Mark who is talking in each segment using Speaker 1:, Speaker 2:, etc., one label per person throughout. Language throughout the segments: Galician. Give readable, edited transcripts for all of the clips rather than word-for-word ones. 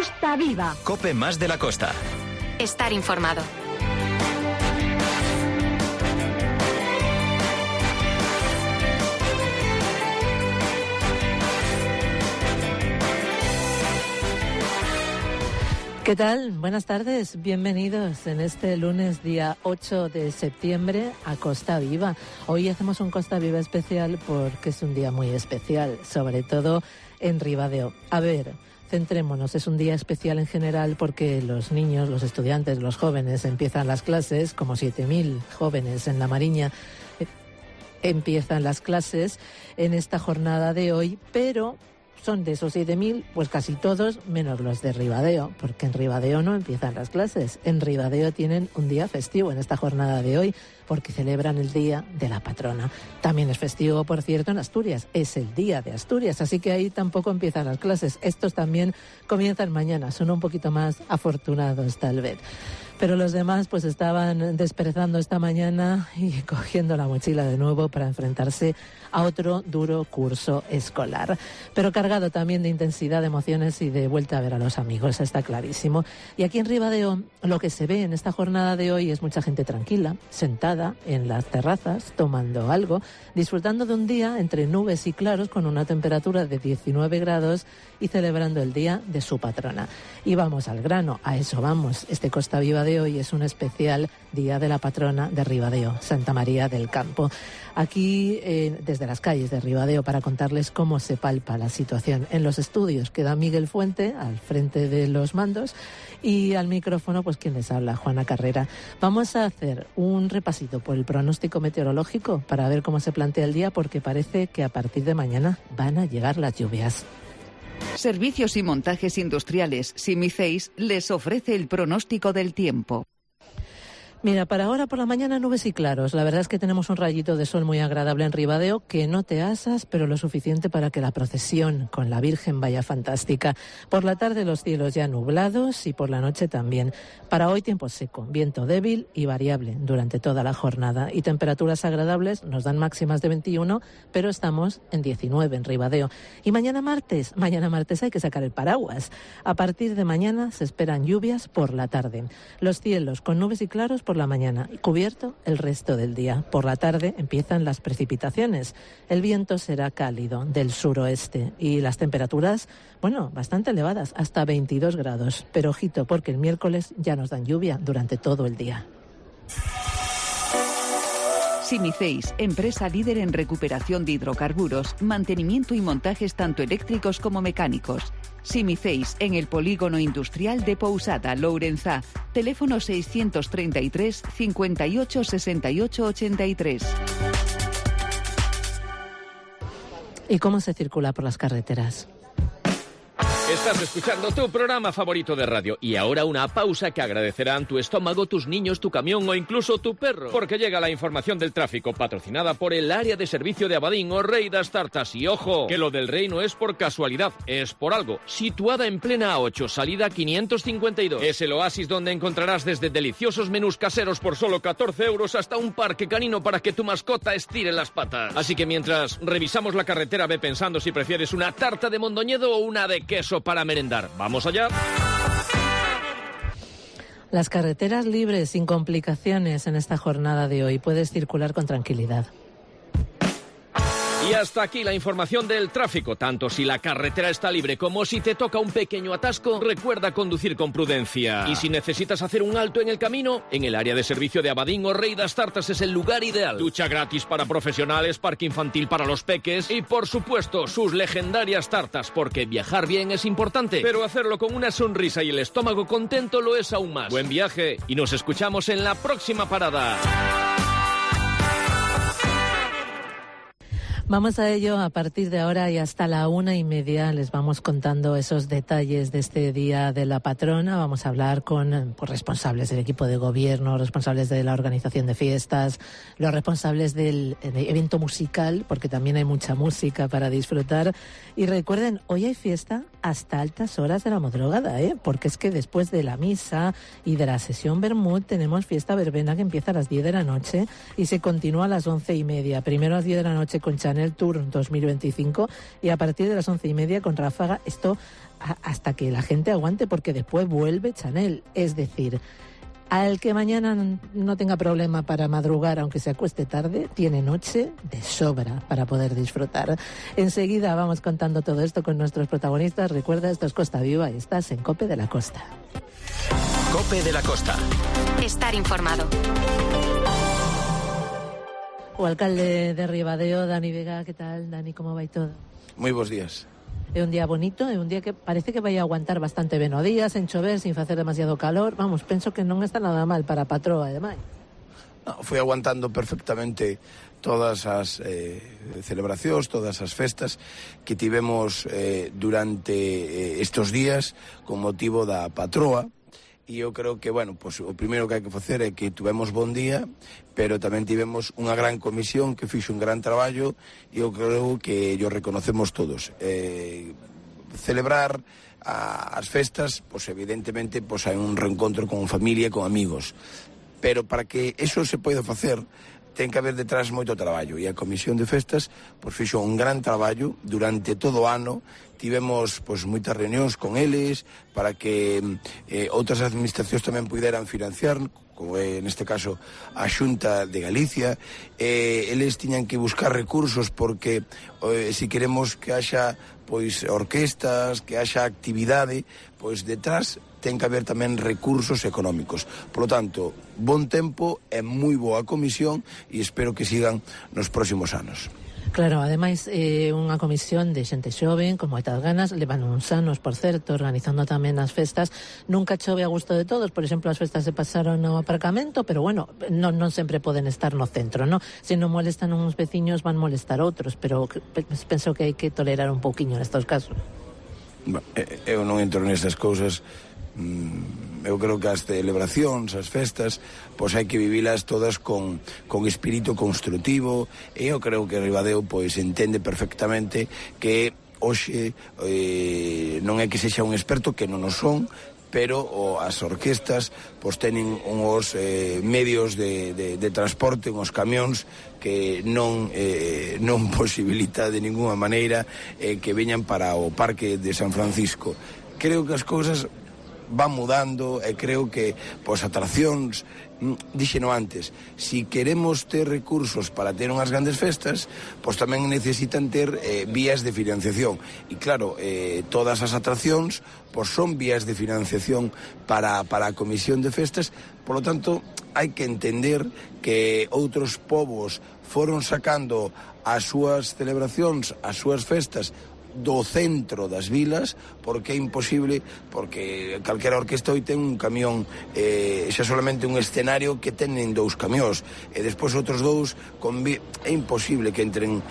Speaker 1: Costa Viva.
Speaker 2: COPE más de la costa.
Speaker 3: Estar informado.
Speaker 4: ¿Qué tal? Buenas tardes, bienvenidos en este lunes día 8 de septiembre a Costa Viva. Hoy hacemos un Costa Viva especial porque es un día muy especial, sobre todo en Ribadeo. A ver, centrémonos, es un día especial en general porque los niños, los estudiantes, los jóvenes empiezan las clases, como 7.000 jóvenes en La Mariña empiezan las clases en esta jornada de hoy, pero son de esos 7.000, pues casi todos, menos los de Ribadeo, porque en Ribadeo no empiezan las clases. En Ribadeo tienen un día festivo en esta jornada de hoy, porque celebran el Día de la Patrona. También es festivo, por cierto, en Asturias. Es el Día de Asturias, así que ahí tampoco empiezan las clases. Estos también comienzan mañana, son un poquito más afortunados tal vez. Pero los demás pues estaban desperezando esta mañana y cogiendo la mochila de nuevo para enfrentarse a otro duro curso escolar. Pero cargado también de intensidad, de emociones y de vuelta a ver a los amigos, está clarísimo. Y aquí en Ribadeo lo que se ve en esta jornada de hoy es mucha gente tranquila, sentada en las terrazas, tomando algo, disfrutando de un día entre nubes y claros con una temperatura de 19 grados y celebrando el día de su patrona. Y vamos al grano, a eso vamos. Este Costa Viva de hoy es un especial Día de la Patrona de Ribadeo, Santa María del Campo. Aquí, desde las calles de Ribadeo, para contarles cómo se palpa la situación. En los estudios queda Miguel Fuente, al frente de los mandos, y al micrófono, pues quien les habla, Juana Carrera. Vamos a hacer un repasito por el pronóstico meteorológico para ver cómo se plantea el día, porque parece que a partir de mañana van a llegar las lluvias.
Speaker 5: Servicios y montajes industriales Simiceis les ofrece el pronóstico del tiempo.
Speaker 4: Mira, para ahora por la mañana nubes y claros. La verdad es que tenemos un rayito de sol muy agradable en Ribadeo, que no te asas, pero lo suficiente para que la procesión con la Virgen vaya fantástica. Por la tarde los cielos ya nublados y por la noche también. Para hoy tiempo seco, viento débil y variable durante toda la jornada. Y temperaturas agradables, nos dan máximas de 21, pero estamos en 19 en Ribadeo. Y mañana martes hay que sacar el paraguas. A partir de mañana se esperan lluvias por la tarde. Los cielos con nubes y claros por la mañana y cubierto el resto del día. Por la tarde empiezan las precipitaciones. El viento será cálido del suroeste y las temperaturas, bueno, bastante elevadas, hasta 22 grados. Pero ojito, porque el miércoles ya nos dan lluvia durante todo el día.
Speaker 5: Simiceis, empresa líder en recuperación de hidrocarburos, mantenimiento y montajes tanto eléctricos como mecánicos. Simiceis, en el polígono industrial de Pousada, Lourenzá. Teléfono 633 58 68 83.
Speaker 4: ¿Y cómo se circula por las carreteras?
Speaker 6: Estás escuchando tu programa favorito de radio y ahora una pausa que agradecerán tu estómago, tus niños, tu camión o incluso tu perro, porque llega la información del tráfico patrocinada por el área de servicio de Abadín o Rey das Tartas. Y ojo, que lo del Rey no es por casualidad, es por algo. Situada en plena A8, salida 552. Es el oasis donde encontrarás desde deliciosos menús caseros por solo 14 euros hasta un parque canino para que tu mascota estire las patas. Así que mientras revisamos la carretera, ve pensando si prefieres una tarta de mondoñedo o una de queso para merendar. ¡Vamos allá!
Speaker 4: Las carreteras libres, sin complicaciones en esta jornada de hoy. Puedes circular con tranquilidad.
Speaker 6: Y hasta aquí la información del tráfico. Tanto si la carretera está libre como si te toca un pequeño atasco, recuerda conducir con prudencia. Y si necesitas hacer un alto en el camino, en el área de servicio de Abadín o Rey das Tartas es el lugar ideal. Ducha gratis para profesionales, parque infantil para los peques y, por supuesto, sus legendarias tartas, porque viajar bien es importante, pero hacerlo con una sonrisa y el estómago contento lo es aún más. Buen viaje y nos escuchamos en la próxima parada.
Speaker 4: Vamos a ello a partir de ahora y hasta la 1:30 les vamos contando esos detalles de este Día de la Patrona. Vamos a hablar con responsables del equipo de gobierno, responsables de la organización de fiestas, los responsables del evento musical, porque también hay mucha música para disfrutar. Y recuerden, hoy hay fiesta hasta altas horas de la madrugada, porque es que después de la misa y de la sesión Bermud tenemos fiesta verbena que empieza a las 10 de la noche y se continúa a las 11:30. Primero a las 10 de la noche con Chanel Chanel Tour 2025 y a partir de las 11:30 con ráfaga, esto hasta que la gente aguante, porque después vuelve Chanel. Es decir, al que mañana no tenga problema para madrugar, aunque se acueste tarde, tiene noche de sobra para poder disfrutar. Enseguida vamos contando todo esto con nuestros protagonistas. Recuerda, esto es Costa Viva y estás en COPE de la Costa.
Speaker 6: COPE de la Costa.
Speaker 3: Estar informado.
Speaker 4: O alcalde de Ribadeo, Dani Vega, ¿qué tal, Dani? ¿Cómo va y todo?
Speaker 1: Moi bons días.
Speaker 4: É un día bonito, é un día que parece que vai aguantar bastante ben o día, sen chover, sin facer demasiado calor. Vamos, penso que non está nada mal para a patroa, ademais.
Speaker 1: No, fui aguantando perfectamente todas as celebracións, todas as festas que tivemos durante estos días con motivo da patroa. E eu creo que, bueno, pues, o primeiro que hai que facer é que tivemos bon día, pero tamén tivemos unha gran comisión que fixo un gran traballo e eu creo que yo reconocemos todos. Celebrar as festas, pues, evidentemente, pues, hai un reencontro con familia e con amigos, pero para que eso se poida facer ten que haber detrás moito traballo, e a Comisión de Festas pues, fixo un gran traballo durante todo o ano. Tivemos pues, moitas reunións con eles para que outras administracións tamén puderan financiar, como é neste caso a Xunta de Galicia. Eles tiñan que buscar recursos porque se queremos que haxa pois orquestas, que haxa actividade, pois detrás ten que haber tamén recursos económicos. Por lo tanto, bon tempo e moi boa comisión e espero que sigan nos próximos anos.
Speaker 4: Claro, ademais unha comisión de xente xoven, con moitas ganas, levan uns anos, por certo, organizando tamén as festas. Nunca chove a gusto de todos, por exemplo, as festas se pasaron no aparcamento, pero bueno, non sempre poden estar no centro, non? Se non molestan uns veciños, van molestar outros, pero penso que hai que tolerar un pouquiño nestos casos.
Speaker 1: Eu non entro nestas cousas. Eu creo que as celebracións, as festas, pois hai que vivilas todas con espírito construtivo, e eu creo que Ribadeo pois entende perfectamente que hoxe non é que sexa un experto, que non o son, pero as orquestas pois tenen uns medios de transporte, uns camións que non posibilita de ninguna maneira que veñan para o Parque de San Francisco. Creo que as cousas van mudando e creo que pois atraccións, díxeno antes, si queremos ter recursos para ter unhas grandes festas, pois tamén necesitan ter vías de financiación, e claro, todas as atraccións pois son vías de financiación para a Comisión de Festas. Por lo tanto, hai que entender que outros povos foron sacando as súas celebracións, as súas festas do centro das vilas, porque é imposible, porque calquera orquesta hoy ten un camión, xa solamente un escenario que tenen 2 camións, e despois outros 2 é imposible que entren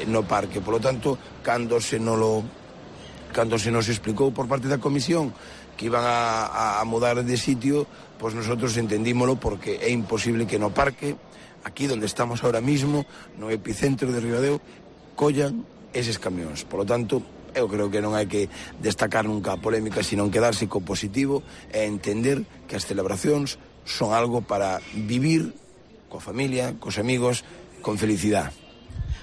Speaker 1: no parque. Por lo tanto, cando se nos explicou por parte da comisión que iban a mudar de sitio, pois nosotros entendímolo, porque é imposible que no parque, aquí donde estamos ahora mismo, no epicentro de Ribadeo, collan eses camións. Por lo tanto, eu creo que non hai que destacar nunca a polémica, sino quedarse co positivo e entender que as celebracións son algo para vivir coa familia, cos amigos, con felicidade.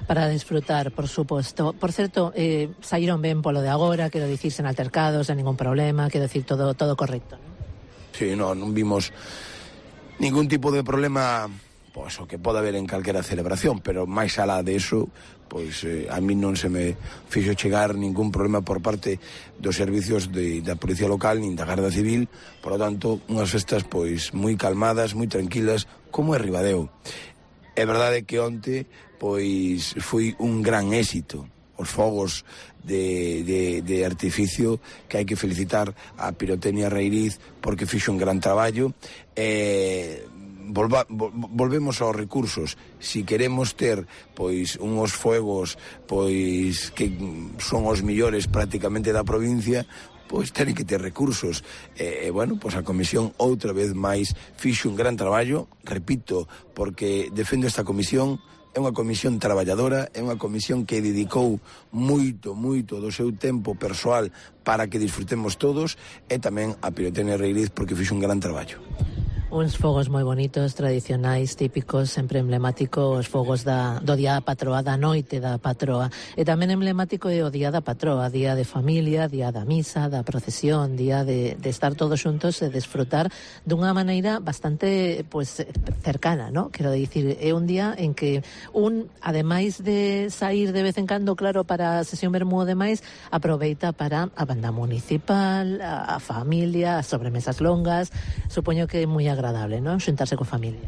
Speaker 4: Para disfrutar, por suposto. Por certo, saíron ben polo de agora, quero dicir, sen altercados, sen ningún problema, quero dicir, todo correcto, non?
Speaker 1: Sí, non vimos ningún tipo de problema, pois o que pode haber en calquera celebración, pero máis alá de eso, pois a mí non se me fixo chegar ningún problema por parte dos servicios da Policía Local nin da Garda Civil. Por lo tanto, unhas festas pois moi calmadas, moi tranquilas, como é Ribadeo. É verdade que onte pois foi un gran éxito os fogos de artificio, que hai que felicitar a Pirotecnia Reiriz porque fixo un gran traballo. Volvemos aos recursos. Si queremos ter pois unhos fuegos pois que son os millores prácticamente da provincia, pois ten que ter recursos. Bueno, pois a comisión outra vez máis fixo un gran traballo, repito, porque defendo esta comisión. É unha comisión traballadora, é unha comisión que dedicou moito do seu tempo persoal para que disfrutemos todos, e tamén a Pirotecnia Reiriz porque fixo un gran traballo.
Speaker 4: Uns fogos moi bonitos, tradicionais, típicos, sempre emblemáticos, os fogos do Día da Patroa, da noite da Patroa. E tamén emblemático é o Día da Patroa, día de familia, día da misa, da procesión, día de estar todos xuntos e desfrutar dunha maneira bastante cercana, ¿no? Quero dicir, é un día en que ademais de sair de vez en cando, claro, para a sesión vermú e demais, aproveita para a banda municipal, a familia, as sobremesas longas. Supoño que é moi agradable, non? Xuntarse coa familia.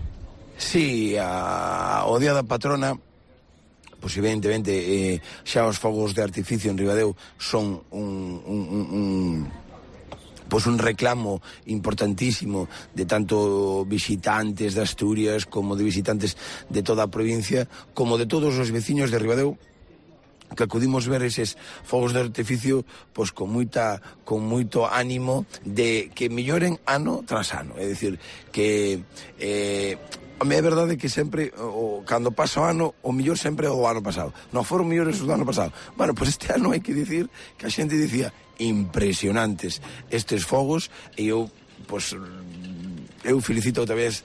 Speaker 1: Sí, o Día da Patrona, pois evidentemente xa os fogos de artificio en Ribadeo son un reclamo importantísimo de tanto visitantes de Asturias como de visitantes de toda a provincia, como de todos os veciños de Ribadeo, que acudimos ver eses fogos de artificio pois con moito ánimo de que melloren ano tras ano. É dicir, que a mí é verdade que sempre cando pasa o ano, o mellor sempre é o ano pasado. Non foron mellores do ano pasado. Bueno, pois este ano hai que dicir que a xente dicía impresionantes estes fogos, e eu felicito outra vez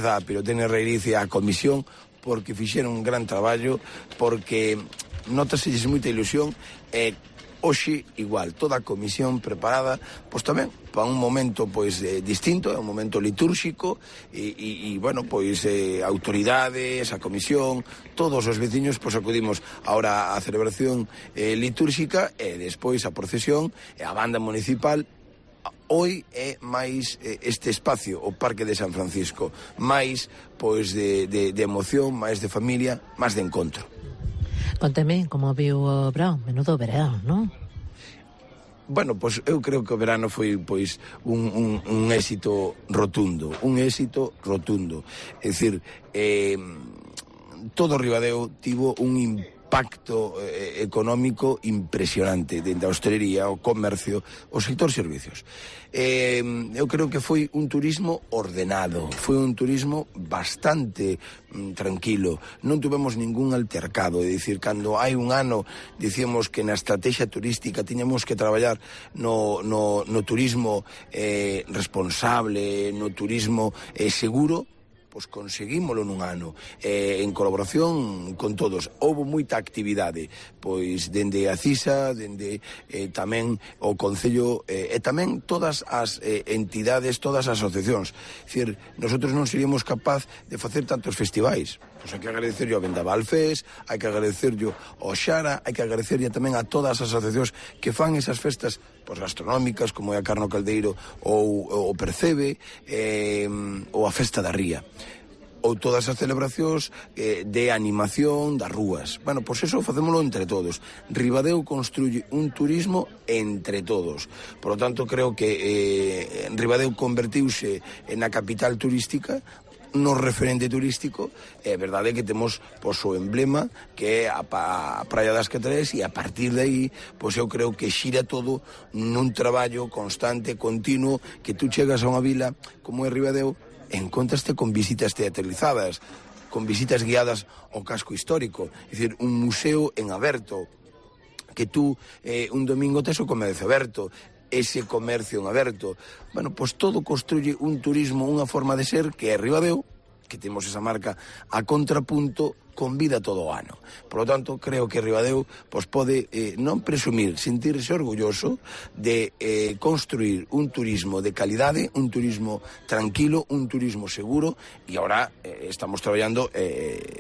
Speaker 1: a Pirotecnia Reiriz e a comisión, porque fixeron un gran traballo, porque nótaselles moita ilusión, e hoxe igual, toda a comisión preparada, pois tamén para un momento distinto, é un momento litúrxico, e bueno, autoridades, a comisión, todos os veciños acudimos ahora á celebración litúrxica, e despois a procesión e a banda municipal. Hoy é máis este espacio, o Parque de San Francisco, máis de emoción, máis de familia, máis de encontro.
Speaker 4: Conteme como viu o verán, menudo verán, non?
Speaker 1: Bueno, eu creo que o verano foi un éxito rotundo, é dicir, todo Ribadeo tivo un impacto económico impresionante dentro da hostelería, o comercio, o sector servicios. Eu creo que foi un turismo ordenado, foi un turismo bastante tranquilo, non tuvemos ningún altercado. É dicir, cando hai un ano dicíamos que na estrategia turística tiñamos que traballar no turismo responsable, no turismo seguro, pois conseguímolo nun ano, en colaboración con todos. Houve moita actividade, pois dende a CISA, dende tamén o Concello, e tamén todas as entidades, todas as asociacións. É dicir, nosotros non seríamos capaz de facer tantos festivais. Pois hai que agradecerlo ao Vendaval Fest, hai que agradecerlo ao Xara, hai que agradecerlo tamén a todas as asociacións que fan esas festas gastronómicas, como é a Carno Caldeiro ou o Percebe, ou a Festa da Ría, ou todas as celebracións de animación das rúas. Bueno, pois eso facémolo entre todos. Ribadeo construye un turismo entre todos. Por lo tanto, creo que Ribadeo convertiuse na capital turística, no referente turístico. É verdade que temos o emblema, que é a Praia das Catrais, e a partir de aí, eu creo que xira todo nun traballo constante, continuo, que tú chegas a unha vila como é Ribadeo, encontraste con visitas teatralizadas, con visitas guiadas ao casco histórico, é dicir, un museo en aberto, que tú un domingo tes o comercio aberto, ese comercio en aberto. Bueno, pois todo construye un turismo, unha forma de ser que é Ribadeo, que temos esa marca a contrapunto, con vida todo o ano. Por lo tanto, creo que Ribadeo pode non presumir, sentirse orgulloso de construir un turismo de calidade, un turismo tranquilo, un turismo seguro, e agora estamos traballando,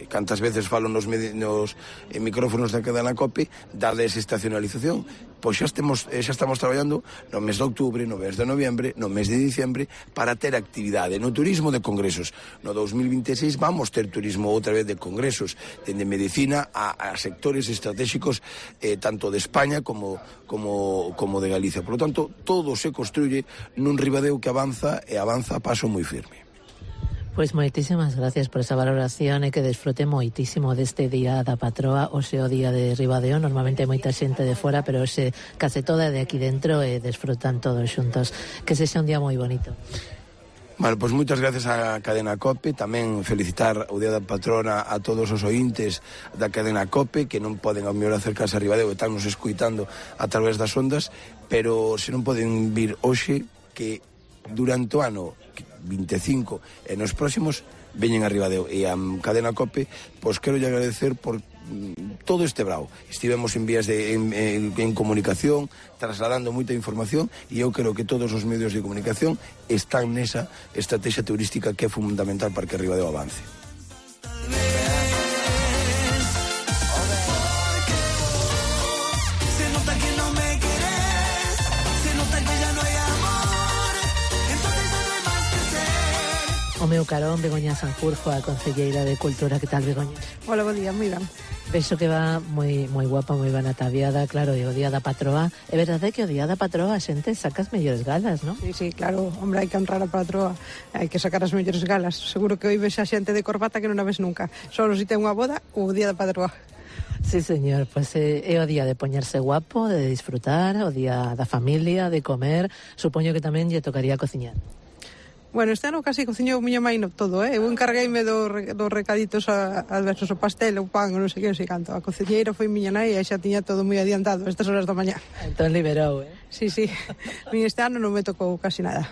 Speaker 1: cantas veces falo nos micrófonos da cadena COPE, da desestacionalización. Pois xa estamos traballando no mes de outubro, no mes de noviembre, no mes de diciembre, para ter actividade no turismo de congresos. No 2026 vamos ter turismo outra vez de congresos, dende medicina a sectores estratégicos tanto de España como de Galicia. Por lo tanto, todo se construye nun Ribadeo que avanza, e avanza a paso moi firme.
Speaker 4: Pois moitísimas gracias por esa valoración, e que desfrute moitísimo deste Día da Patroa, hoxe o Día de Ribadeo. Normalmente hai moita xente de fora, pero hoxe case toda de aquí dentro, e desfrutan todos xuntos. Que sexa un día moi bonito.
Speaker 1: Bueno, pois moitas gracias á cadena COPE, tamén felicitar o Día da Patrona a todos os ointes da cadena COPE, que non poden ao mellor acercarse a Ribadeo e están nos escuitando a través das ondas, pero se non poden vir hoxe, que durante o ano 25 e nos próximos veñen a Ribadeo. E a cadena COPE, pois quero lle agradecer por todo este brao. Estivemos en vías en comunicación, trasladando moita información, e eu creo que todos os medios de comunicación están nesa estrategia turística que é fundamental para que Ribadeo avance.
Speaker 4: O meu carón, Begoña Sanjurjo, a concelleira de Cultura. Que tal, Begoña?
Speaker 2: Hola, bo día, moi ben.
Speaker 4: Vexo que va moi guapa, moi ben ataviada, claro, e o día da patroa. É verdade que o día da patroa a xente saca as mellores galas, non?
Speaker 2: Sí, claro, hombre, hai que honrar a patroa, hai que sacar as mellores galas. Seguro que hoy ves a xente de corbata que non a ves nunca. Solo si ten unha boda ou o día da patroa.
Speaker 4: Sí, señor, pois é o día de poñerse guapo, de disfrutar, o día da familia, de comer. Supoño que tamén lle tocaría cociñar.
Speaker 2: Bueno, este ano casi cociñou miña mãe no todo, Eu encargueime dos recaditos adversos, o pastel, o pan, non sei que, non sei canto. A cociñeira foi miña nai e xa tiña todo moi adiantado estas horas da mañá.
Speaker 4: Entón liberou,
Speaker 2: Sí. Este ano non me tocou casi nada.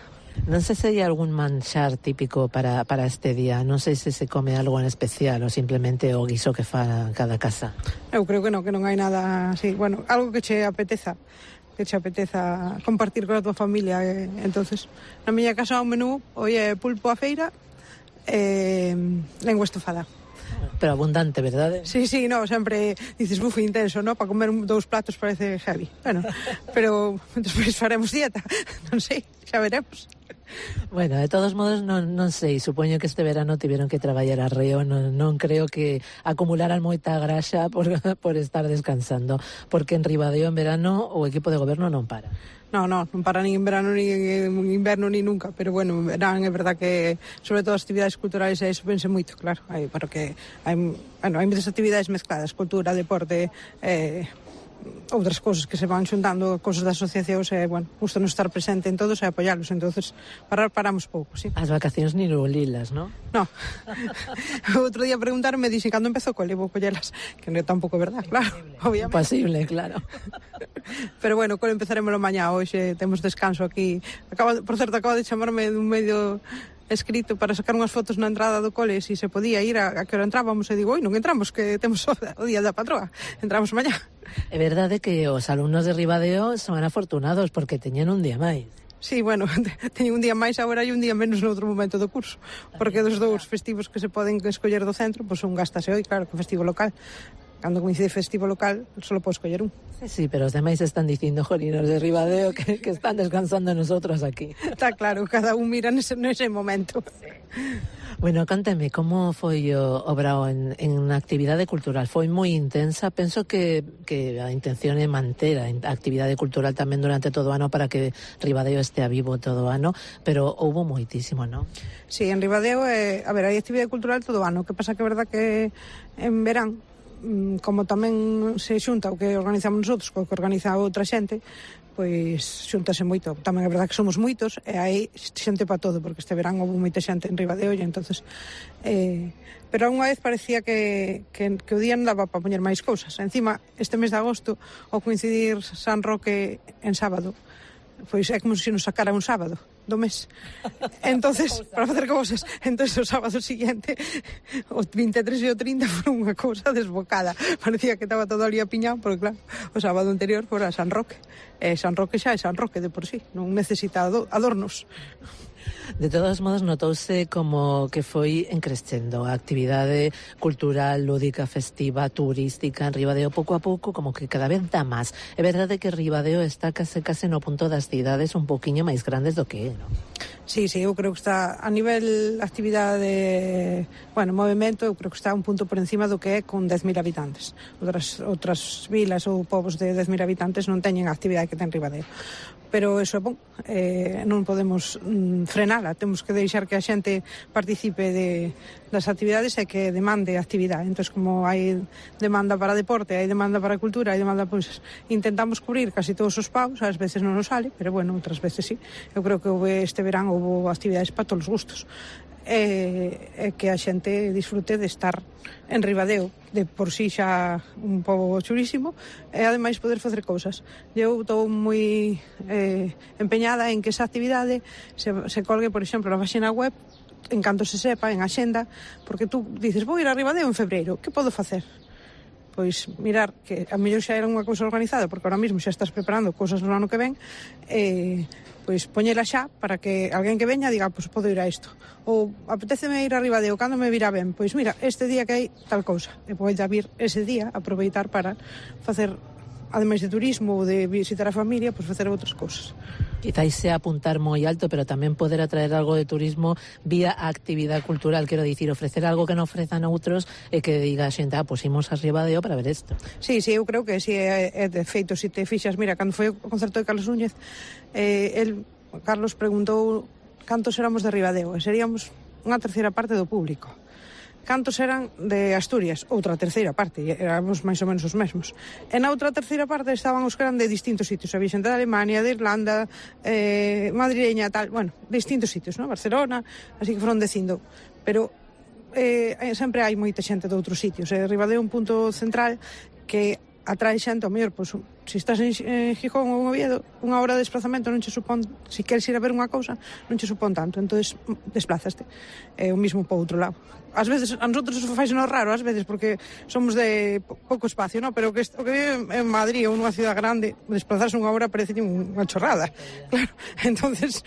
Speaker 4: Non sei se hai algún manxar típico para este día. Non sei se se come algo en especial ou simplemente o guiso que fa cada casa.
Speaker 2: Eu creo que non hai nada así. Bueno, algo que che apeteza compartir con a tua familia. Entonces, na miña casa o menú hoy é pulpo a feira e lengua estofada.
Speaker 4: Pero abundante, verdade?
Speaker 2: Sí, no, sempre dices, buf, intenso, no? Para comer 2 platos parece heavy. Bueno, pero despois faremos dieta, non sei, xa veremos.
Speaker 4: Bueno, de todos modos, non sei, supoño que este verano tiveron que traballar arreo, non creo que acumularan moita graxa por estar descansando, porque en Ribadeo en verano o equipo de goberno non para.
Speaker 2: Non para nin en verano, nin en inverno, nin nunca, pero bueno, en verán é verdad que, sobre todo as actividades culturais, eso pense moito, claro, porque hai moitas actividades mezcladas, cultura, deporte, outras cousas que se van xuntando, cousas das asociacións, bueno, gusta non estar presente en todos e apoiarlos, entonces paramos pouco, sí.
Speaker 4: As vacacións ni lilas, non?
Speaker 2: No. Outro día preguntarme, dixen, cando empezou cole, vou collelas, que non é tampouco verdad, claro, obviamente.
Speaker 4: Imposible, claro.
Speaker 2: Pero bueno, cole empezaremos mañá, hoxe temos descanso aquí. Por certo, acaba de chamarme dun medio escrito para sacar unhas fotos na entrada do cole, se podía ir, a que hora entrábamos, e digo, non entramos, que temos o día da patroa, entramos mañá.
Speaker 4: É verdade que os alumnos de Ribadeo son afortunados porque teñen un día máis.
Speaker 2: Sí, bueno, teñen un día máis agora e un día menos no outro momento do curso, porque dos 2 festivos que se poden escoller do centro, pois un gástase hoy, claro, que festivo local. Cando coincide festivo local, só podo escoller un.
Speaker 4: Sí, pero os demais están dicindo, jolinos de Ribadeo, que están descansando nosotros aquí.
Speaker 2: Está claro, cada un mira nese momento.
Speaker 4: Bueno, cánteme, como foi o brao en actividade cultural? Foi moi intensa, penso que a intención é manter a actividade cultural tamén durante todo o ano para que Ribadeo estea vivo todo o ano, pero houbo moitísimo, non?
Speaker 2: Sí, en Ribadeo, hai actividade cultural todo o ano, que pasa que é verdad que en verán, como tamén se xunta o que organizamos nosotros co que organiza outra xente, pois xuntase moito. Tamén é verdade que somos moitos e hai xente para todo, porque este verán houve moita xente en Ribadeo e entonces pero unha vez parecía que o día non daba para poñer máis cousas. Encima, este mes de agosto, ao coincidir San Roque en sábado, pois é como se nos sacara un sábado do mes. Entonces, para facer cousas. Entonces, o sábado siguiente, o 23 e o 30 foron unha cousa desbocada. Parecía que estaba todo ali apiñado, porque claro, o sábado anterior fora San Roque. San Roque xa é San Roque de por sí, non necesita adornos.
Speaker 4: De todos modos, notouse como que foi encrescendo a actividade cultural, lúdica, festiva, turística en Ribadeo, pouco a pouco, como que cada vez dá máis. É verdade que Ribadeo está case no punto das cidades un poquinho máis grandes do que é, non?
Speaker 2: Sí, eu creo que está a nivel actividade, movimento, eu creo que está un punto por encima do que é con 10.000 habitantes. Outras vilas ou povos de 10.000 habitantes non teñen a actividade que ten Ribadeo. Pero eso é bon, non podemos frenala, temos que deixar que a xente participe das actividades e que demande actividade. Entón, como hai demanda para deporte, hai demanda para cultura, hai demanda, pois, intentamos cubrir casi todos os paus, ás veces non nos sale, pero bueno, outras veces sí. Eu creo que este verán houve actividades para todos os gustos. que a xente disfrute de estar en Ribadeo, de por si xa un pobo chulísimo, e ademais poder facer cousas. Eu estou moi empeñada en que esa actividade se colgue, por exemplo, na página web, en canto se sepa, en axenda, porque tú dices, vou ir a Ribadeo en febreiro, que podo facer? Pois mirar que a mellor xa era unha cousa organizada, porque ahora mesmo xa estás preparando cousas no ano que ven, pois poñela xa para que alguén que veña diga, pois podo ir a isto. Ou apetéceme ir a Ribadeo, cando me virá ben? Pois mira, este día que hai tal cousa, e poida vir ese día, aproveitar para facer, ademais de turismo ou de visitar a familia, pois facer outras cousas.
Speaker 4: Quizás sea apuntar moi alto, pero tamén poder atraer algo de turismo vía actividade cultural, quero dicir, ofrecer algo que non ofrezan outros e que diga a xente, pois imos a Ribadeo para ver isto.
Speaker 2: Sí, eu creo que si é de feito, se te fixas, mira, cando foi o concerto de Carlos Núñez, Carlos preguntou cantos éramos de Ribadeo, e seríamos unha terceira parte do público. Cantos eran de Asturias? Outra terceira parte, éramos máis ou menos os mesmos. E na outra terceira parte estaban os que eran de distintos sitios, había xente de Alemania, de Irlanda, madrileña, tal, bueno, de distintos sitios, ¿no? Barcelona, así que foron dicindo, pero sempre hai moita xente de outros sitios, Ribadeo é un punto central que atrae xente, ao mellor, pois, se estás en Gijón ou en Oviedo, unha hora de desplazamento non che supón, se queres ir a ver unha cousa, non che supón tanto, entonces desplazaste, o mismo po outro lado. Ás veces, a nosotros faisenos raro, ás veces, porque somos de pouco espacio, ¿no? Pero o que vive en Madrid ou nunha cidade grande, desplazarse unha hora parece unha chorrada, claro. Entonces,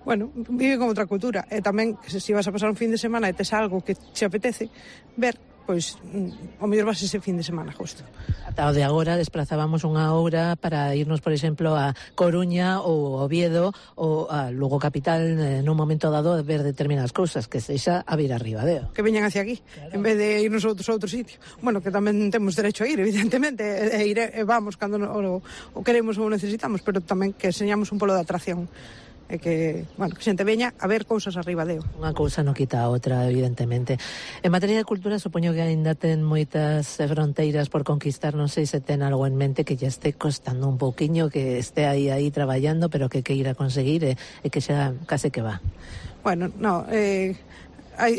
Speaker 2: bueno, vive con outra cultura, e tamén, se vas a pasar un fin de semana e tes algo que te apetece ver, pois, ao mellor vas ese fin de semana, justo.
Speaker 4: Ata o de agora desplazábamos unha hora para irnos, por exemplo, a Coruña ou Oviedo ou a Lugo capital nun momento dado a ver determinadas cousas, que sexa a vir a Ribadeo.
Speaker 2: Que veñan hacia aquí, claro, en vez de irnos a outro sitio. Bueno, que tamén temos derecho a ir, evidentemente, e vamos cando o queremos ou necesitamos, pero tamén que enseñamos un polo de atracción. E que, bueno, que xente veña a ver cousas a Ribadeo.
Speaker 4: Unha cousa non quita a outra, evidentemente. En materia de cultura, supoño que aínda ten moitas fronteiras por conquistar, non sei se ten algo en mente que ya este costando un pouquiño, que este aí traballando, pero que queira conseguir e que xa case que va.
Speaker 2: Bueno, no,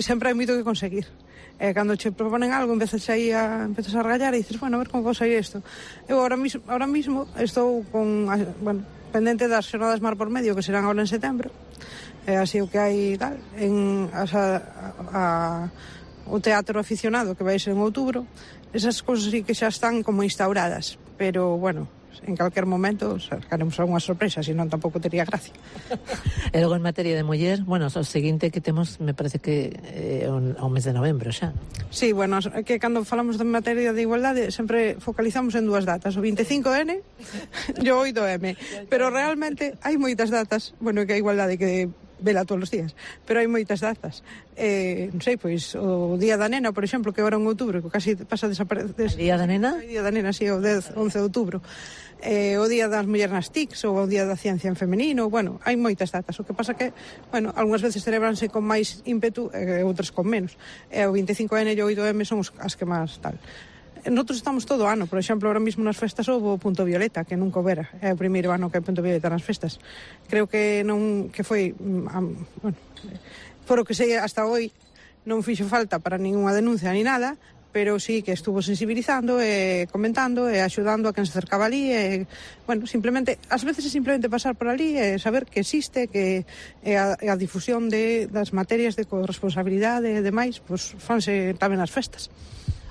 Speaker 2: sempre hai moito que conseguir. Cando che proponen algo, empezas a regallar e dices, bueno, a ver como vou sair isto. Eu ahora mismo estou con, bueno, pendente das xornadas Mar por Medio, que serán agora en setembro, así o que hai tal, o teatro aficionado, que vai ser en outubro, esas cousas sí que xa están como instauradas, pero bueno, en calquer momento sacaremos algunha sorpresa, senón tampouco tería gracia.
Speaker 4: E logo en materia de muller, bueno, o seguinte que temos, me parece que o mes de novembro xa.
Speaker 2: Sí, bueno, que cando falamos de materia de igualdade sempre focalizamos en dúas datas, o 25N e o 8M, pero realmente hai moitas datas, bueno, que a igualdade que vela todos os días, pero hai moitas datas. Non sei, pois o Día da Nena, por exemplo, que agora en outubro, que casi pasa desaparecer.
Speaker 4: Día da Nena?
Speaker 2: O Día da Nena, sí, o 11 de outubro. O Día das Mulleres nas TICs ou o Día da Ciencia en Femenino, bueno, hai moitas datas. O que pasa que, bueno, algunhas veces celebranse con máis ímpetu e outras con menos. O 25N e o 8M son as que máis tal. Nosotros estamos todo o ano, por exemplo, ahora mismo nas festas houve o Punto Violeta, que nunca houbera, é o primeiro ano que hai Punto Violeta nas festas. Creo que foi, bueno, por o que sei hasta hoy non fixo falta para ninguna denuncia ni nada, pero sí que estuvo sensibilizando e comentando e axudando a quen se acercaba ali e, bueno, simplemente, ás veces é simplemente pasar por ali e saber que existe, que a difusión das materias de corresponsabilidade e demais, pois fanse tamén nas festas.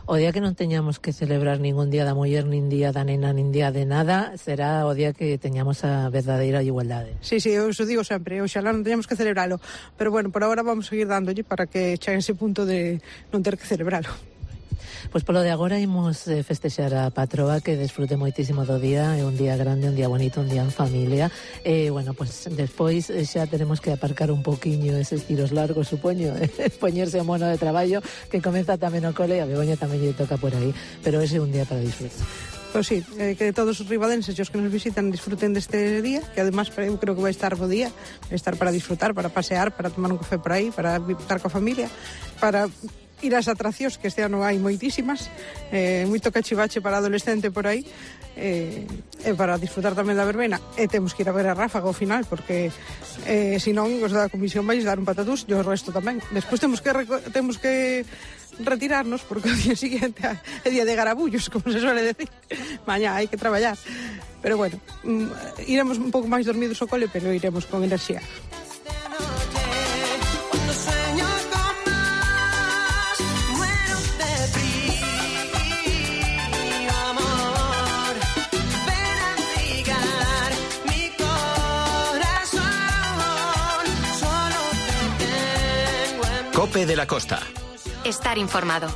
Speaker 4: O día que non teñamos que celebrar ningún Día da Muller, nin Día da Nena, nin Día de nada, será o día que teñamos a verdadeira igualdade.
Speaker 2: Sí, eu iso digo sempre, oxalá non teñamos que celebralo, pero bueno, por agora vamos a seguir dándolle para que chegue ese punto de non ter que celebralo.
Speaker 4: Pois polo de agora imos festexar a patroa, que desfrute moitísimo do día, é un día grande, un día bonito, un día en familia, e, bueno, pois despois xa tenemos que aparcar un poquinho eses tiros largos, supoño, poñerse o mono de traballo, que comeza tamén o cole, a Begoña tamén lle toca por aí, pero ese é un día para disfrutar.
Speaker 2: Pois sí, que todos os ribadenses e os que nos visitan disfruten deste día, que además eu creo que vai estar bo día, vai estar para disfrutar, para pasear, para tomar un café por aí, para estar coa familia, para ir ás atraccións, que este ano hai moitísimas, moito cachivache para adolescente por aí, e para disfrutar tamén da verbena, e temos que ir a ver a Ráfaga ao final, porque senón os da comisión vais dar un patatús, e o resto tamén. Despois temos que retirarnos, porque o día siguiente é día de garabullos, como se suele decir. Mañá hai que traballar. Pero bueno, iremos un pouco máis dormidos ao cole, pero iremos con enerxía.
Speaker 6: Cope de la Costa.
Speaker 3: Estar informado.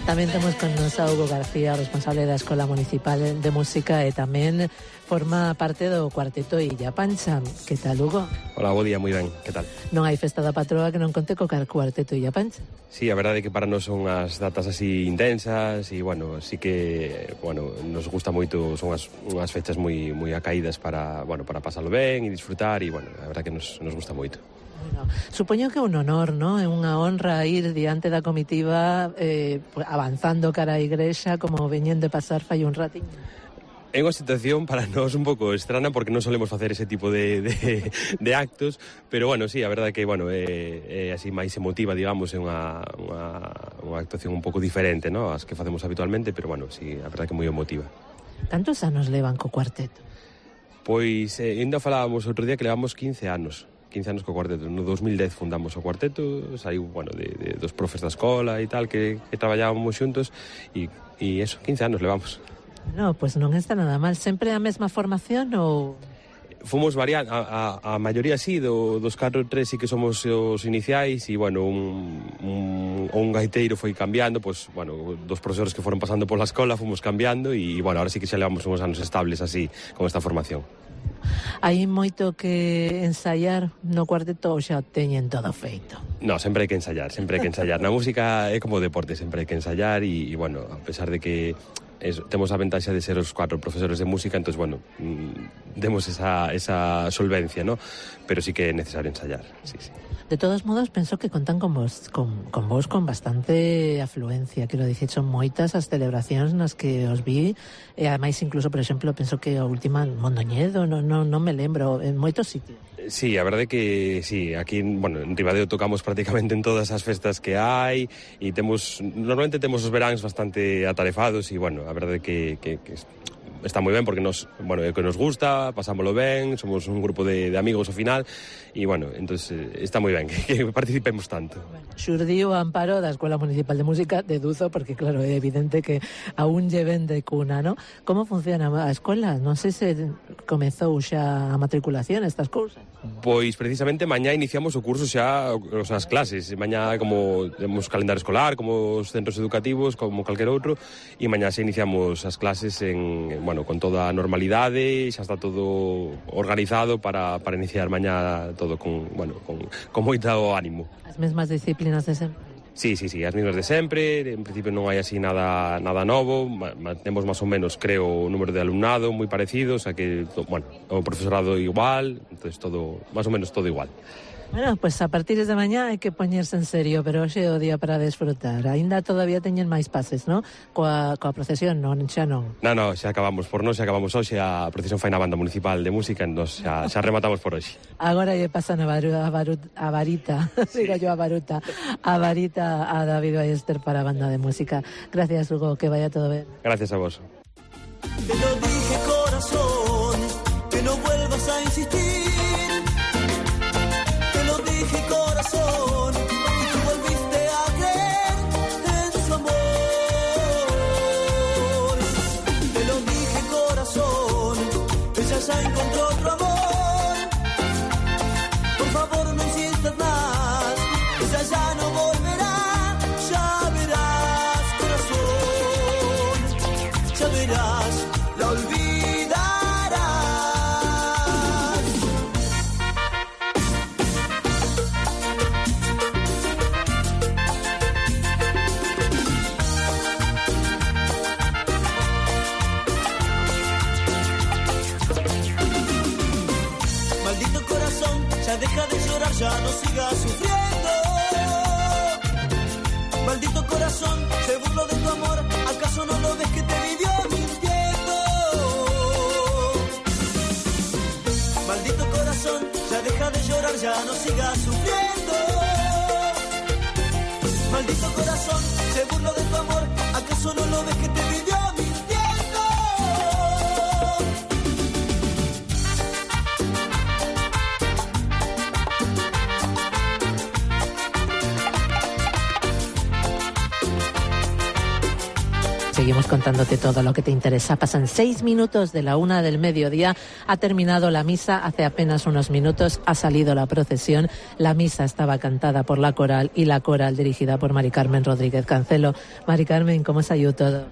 Speaker 4: Tamén temos con nos a Hugo García, responsable da Escola Municipal de Música, e tamén forma parte do cuarteto Illa Pancha. Que tal, Hugo?
Speaker 7: Hola, bo día, moi ben, que tal?
Speaker 4: Non hai festa da patroa que non conte co cuarteto Illa Pancha.
Speaker 7: Sí, a verdade é que para nós son as datas así intensas e, bueno, sí que, bueno, nos gusta moito, son unhas fechas moi acaídas para, bueno, para pasalo ben e disfrutar e, bueno, a verdade que nos gusta moito.
Speaker 4: Bueno, supoño que é un honor, ¿no? É unha honra ir diante da comitiva avanzando cara á igrexa, como veñen de pasar fai un ratiño.
Speaker 7: É unha situación para nós un pouco estrana porque non solemos facer ese tipo de actos, pero bueno, sí, a verdade que, bueno, é así máis emotiva, digamos, é unha actuación un pouco diferente, ¿no?, as que facemos habitualmente, pero bueno, sí, a verdade que é moi emotiva.
Speaker 4: Cantos anos levan co cuarteto?
Speaker 7: Pois, ainda falábamos outro día que levamos 15 anos co cuarteto. No 2010 fundamos o cuarteto, saiu, bueno, de dos profes da escola e tal, que traballábamos xuntos, e eso, 15 anos levamos.
Speaker 4: No, pues non está nada mal. Sempre a mesma formación ou...?
Speaker 7: Fomos variando, a maioría sí, dos 4 3 sí que somos os iniciais, e, bueno, un gaiteiro foi cambiando, pues, bueno, dos profesores que foron pasando pola escola fomos cambiando, e, bueno, ahora sí que xa levamos uns anos estables así, con esta formación.
Speaker 4: Hai moito que ensaiar no cuarteto ou xa teñen todo feito?
Speaker 7: No, sempre hai que ensaiar, Na música é como o deporte, sempre hai que ensaiar e, bueno, a pesar de que temos a ventaxa de ser os 4 profesores de música, entón, bueno, demos esa solvencia, ¿no? Pero sí que é necesario ensayar, sí.
Speaker 4: De todos modos, penso que contan con vos con bastante afluencia, quero dicir, son moitas as celebracións nas que os vi, e ademais incluso, por exemplo, penso que a última Mondoñedo, non me lembro, en moitos sitios.
Speaker 7: Sí, a verdade que sí, aquí, bueno, en Ribadeo tocamos prácticamente en todas as festas que hai, e normalmente temos os veráns bastante atarefados, e, bueno, a verdade que está moi ben porque bueno, é que nos gusta, pasámolo ben, somos un grupo de amigos ao final, e, bueno, entonces está moi ben que participemos tanto.
Speaker 4: Bueno, xurdiu o amparo da Escola Municipal de Música, deduzo, porque claro, é evidente que aún lleven de cuna, ¿no? Como funciona a escola? Non sei se comezou xa a matriculación, estas cousas.
Speaker 7: Pois precisamente mañá iniciamos o curso xa, as clases, mañá como temos calendario escolar, como os centros educativos, como calquer outro, e mañá xa iniciamos as clases bueno, con toda a normalidade, xa está todo organizado para iniciar mañá todo con moito ánimo.
Speaker 4: As mesmas disciplinas de sempre?
Speaker 7: Sí, as mismas de sempre, en principio non hai así nada novo, temos máis ou menos, creo, o número de alumnado moi parecido, o sea que, bueno, o profesorado igual, entonces todo, máis ou menos todo igual.
Speaker 4: Bueno, pues a partir de mañá hai que poñerse en serio, pero hoxe é o día para desfrutar. Ainda todavía teñen máis pases, ¿no? Coa procesión, non, xa non.
Speaker 7: No, xa acabamos por nós, xa acabamos hoxe, a procesión fai na Banda Municipal de Música, nos xa rematamos por hoxe.
Speaker 4: Agora lle pasan a varita, digo yo a varita a David Ballester para a Banda de Música. Gracias, Hugo, que vaya todo ben.
Speaker 7: Gracias a vos.
Speaker 8: Te lo dije, corazón, que no vuelvas a insistir. Corazón, y tú volviste a creer en su amor. Te lo dije, corazón, ella ya encontró otro amor. Por favor, no insistas más, ella ya no volverá. Ya verás, corazón, ya verás, la olvidarás. Ya deja de llorar, ya no sigas sufriendo. Maldito corazón, se burló de tu amor, ¿acaso no lo ves que te vivió mintiendo? Maldito corazón, ya deja de llorar, ya no sigas sufriendo. Maldito corazón, se burló de tu amor, ¿acaso no lo ves que te vivió mintiendo?
Speaker 4: Seguimos contándote todo lo que te interesa. Pasan 6 minutos de la 1 del mediodía. Ha terminado la misa hace apenas unos minutos. Ha salido la procesión. La misa estaba cantada por la coral y la coral dirigida por Mari Carmen Rodríguez Cancelo. Mari Carmen, ¿cómo se ha ido todo?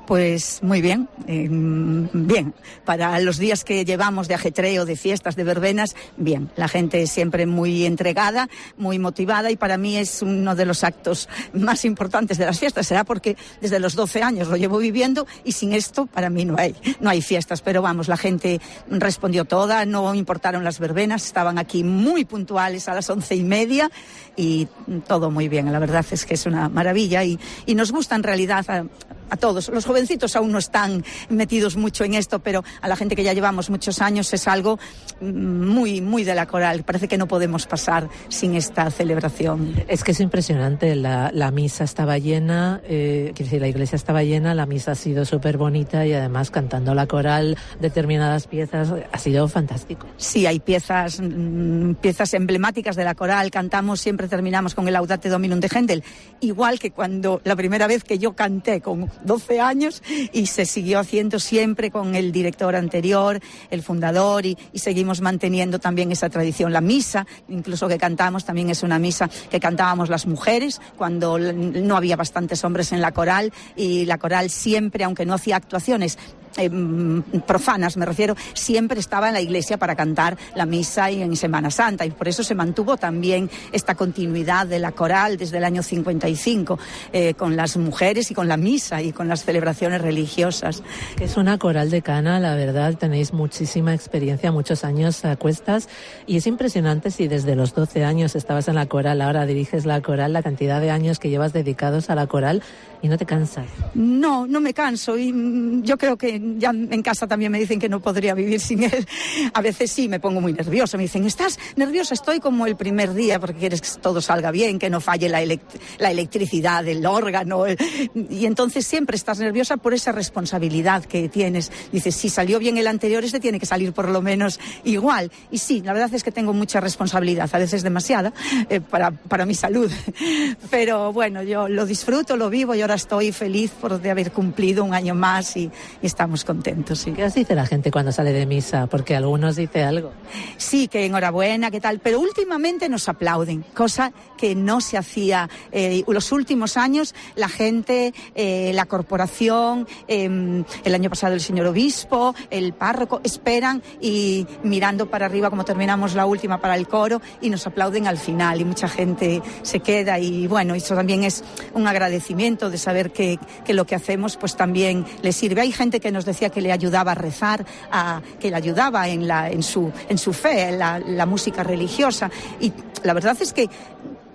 Speaker 9: Pues muy bien, bien. Para los días que llevamos de ajetreo, de fiestas, de verbenas, bien. La gente siempre muy entregada, muy motivada y para mí es uno de los actos más importantes de las fiestas. Será porque desde los 12 años lo llevo viviendo y sin esto para mí no hay fiestas. Pero vamos, la gente respondió toda, no importaron las verbenas, estaban aquí muy puntuales a las 11:30 y todo muy bien. La verdad es que es una maravilla y nos gusta en realidad a todos. Los jovencitos aún no están metidos mucho en esto, pero a la gente que ya llevamos muchos años es algo muy, muy de la coral. Parece que no podemos pasar sin esta celebración.
Speaker 4: Es que es impresionante. La misa estaba llena, quiero decir, la iglesia estaba llena, la misa ha sido súper bonita y además cantando la coral determinadas piezas ha sido fantástico.
Speaker 9: Sí, hay piezas emblemáticas de la coral. Cantamos, siempre terminamos con el Laudate Dominum de Händel, igual que cuando la primera vez que yo canté con 12 años y se siguió haciendo siempre con el director anterior, el fundador y seguimos manteniendo también esa tradición. La misa, incluso que cantamos, también es una misa que cantábamos las mujeres cuando no había bastantes hombres en la coral y la coral siempre, aunque no hacía actuaciones profanas, me refiero, siempre estaba en la iglesia para cantar la misa y en Semana Santa y por eso se mantuvo también esta continuidad de la coral desde el año 55 con las mujeres y con la misa y con las celebraciones religiosas.
Speaker 4: Es una coral decana, la verdad, tenéis muchísima experiencia, muchos años a cuestas y es impresionante si desde los 12 años estabas en la coral, ahora diriges la coral, la cantidad de años que llevas dedicados a la coral y no te cansas.
Speaker 9: No me canso y yo creo que ya en casa también me dicen que no podría vivir sin él. A veces sí me pongo muy nerviosa, me dicen, ¿estás nerviosa? Estoy como el primer día porque quieres que todo salga bien, que no falle la electricidad del órgano y entonces siempre estás nerviosa por esa responsabilidad que tienes. Dices, si salió bien el anterior, este tiene que salir por lo menos igual. Y sí, la verdad es que tengo mucha responsabilidad, a veces demasiada, para mi salud. Pero bueno, yo lo disfruto, lo vivo y ahora estoy feliz de haber cumplido un año más y estamos contentos. Sí.
Speaker 4: ¿Qué os dice la gente cuando sale de misa? Porque algunos dice algo.
Speaker 9: Sí, que enhorabuena, que tal, pero últimamente nos aplauden, cosa que no se hacía los últimos años. La gente, la corporación, el año pasado el señor obispo, el párroco, esperan y mirando para arriba como terminamos la última para el coro y nos aplauden al final y mucha gente se queda y bueno, eso también es un agradecimiento de saber que lo que hacemos pues también les sirve. Hay gente que nos decía que le ayudaba a rezar, que le ayudaba en su fe, en la música religiosa y la verdad es que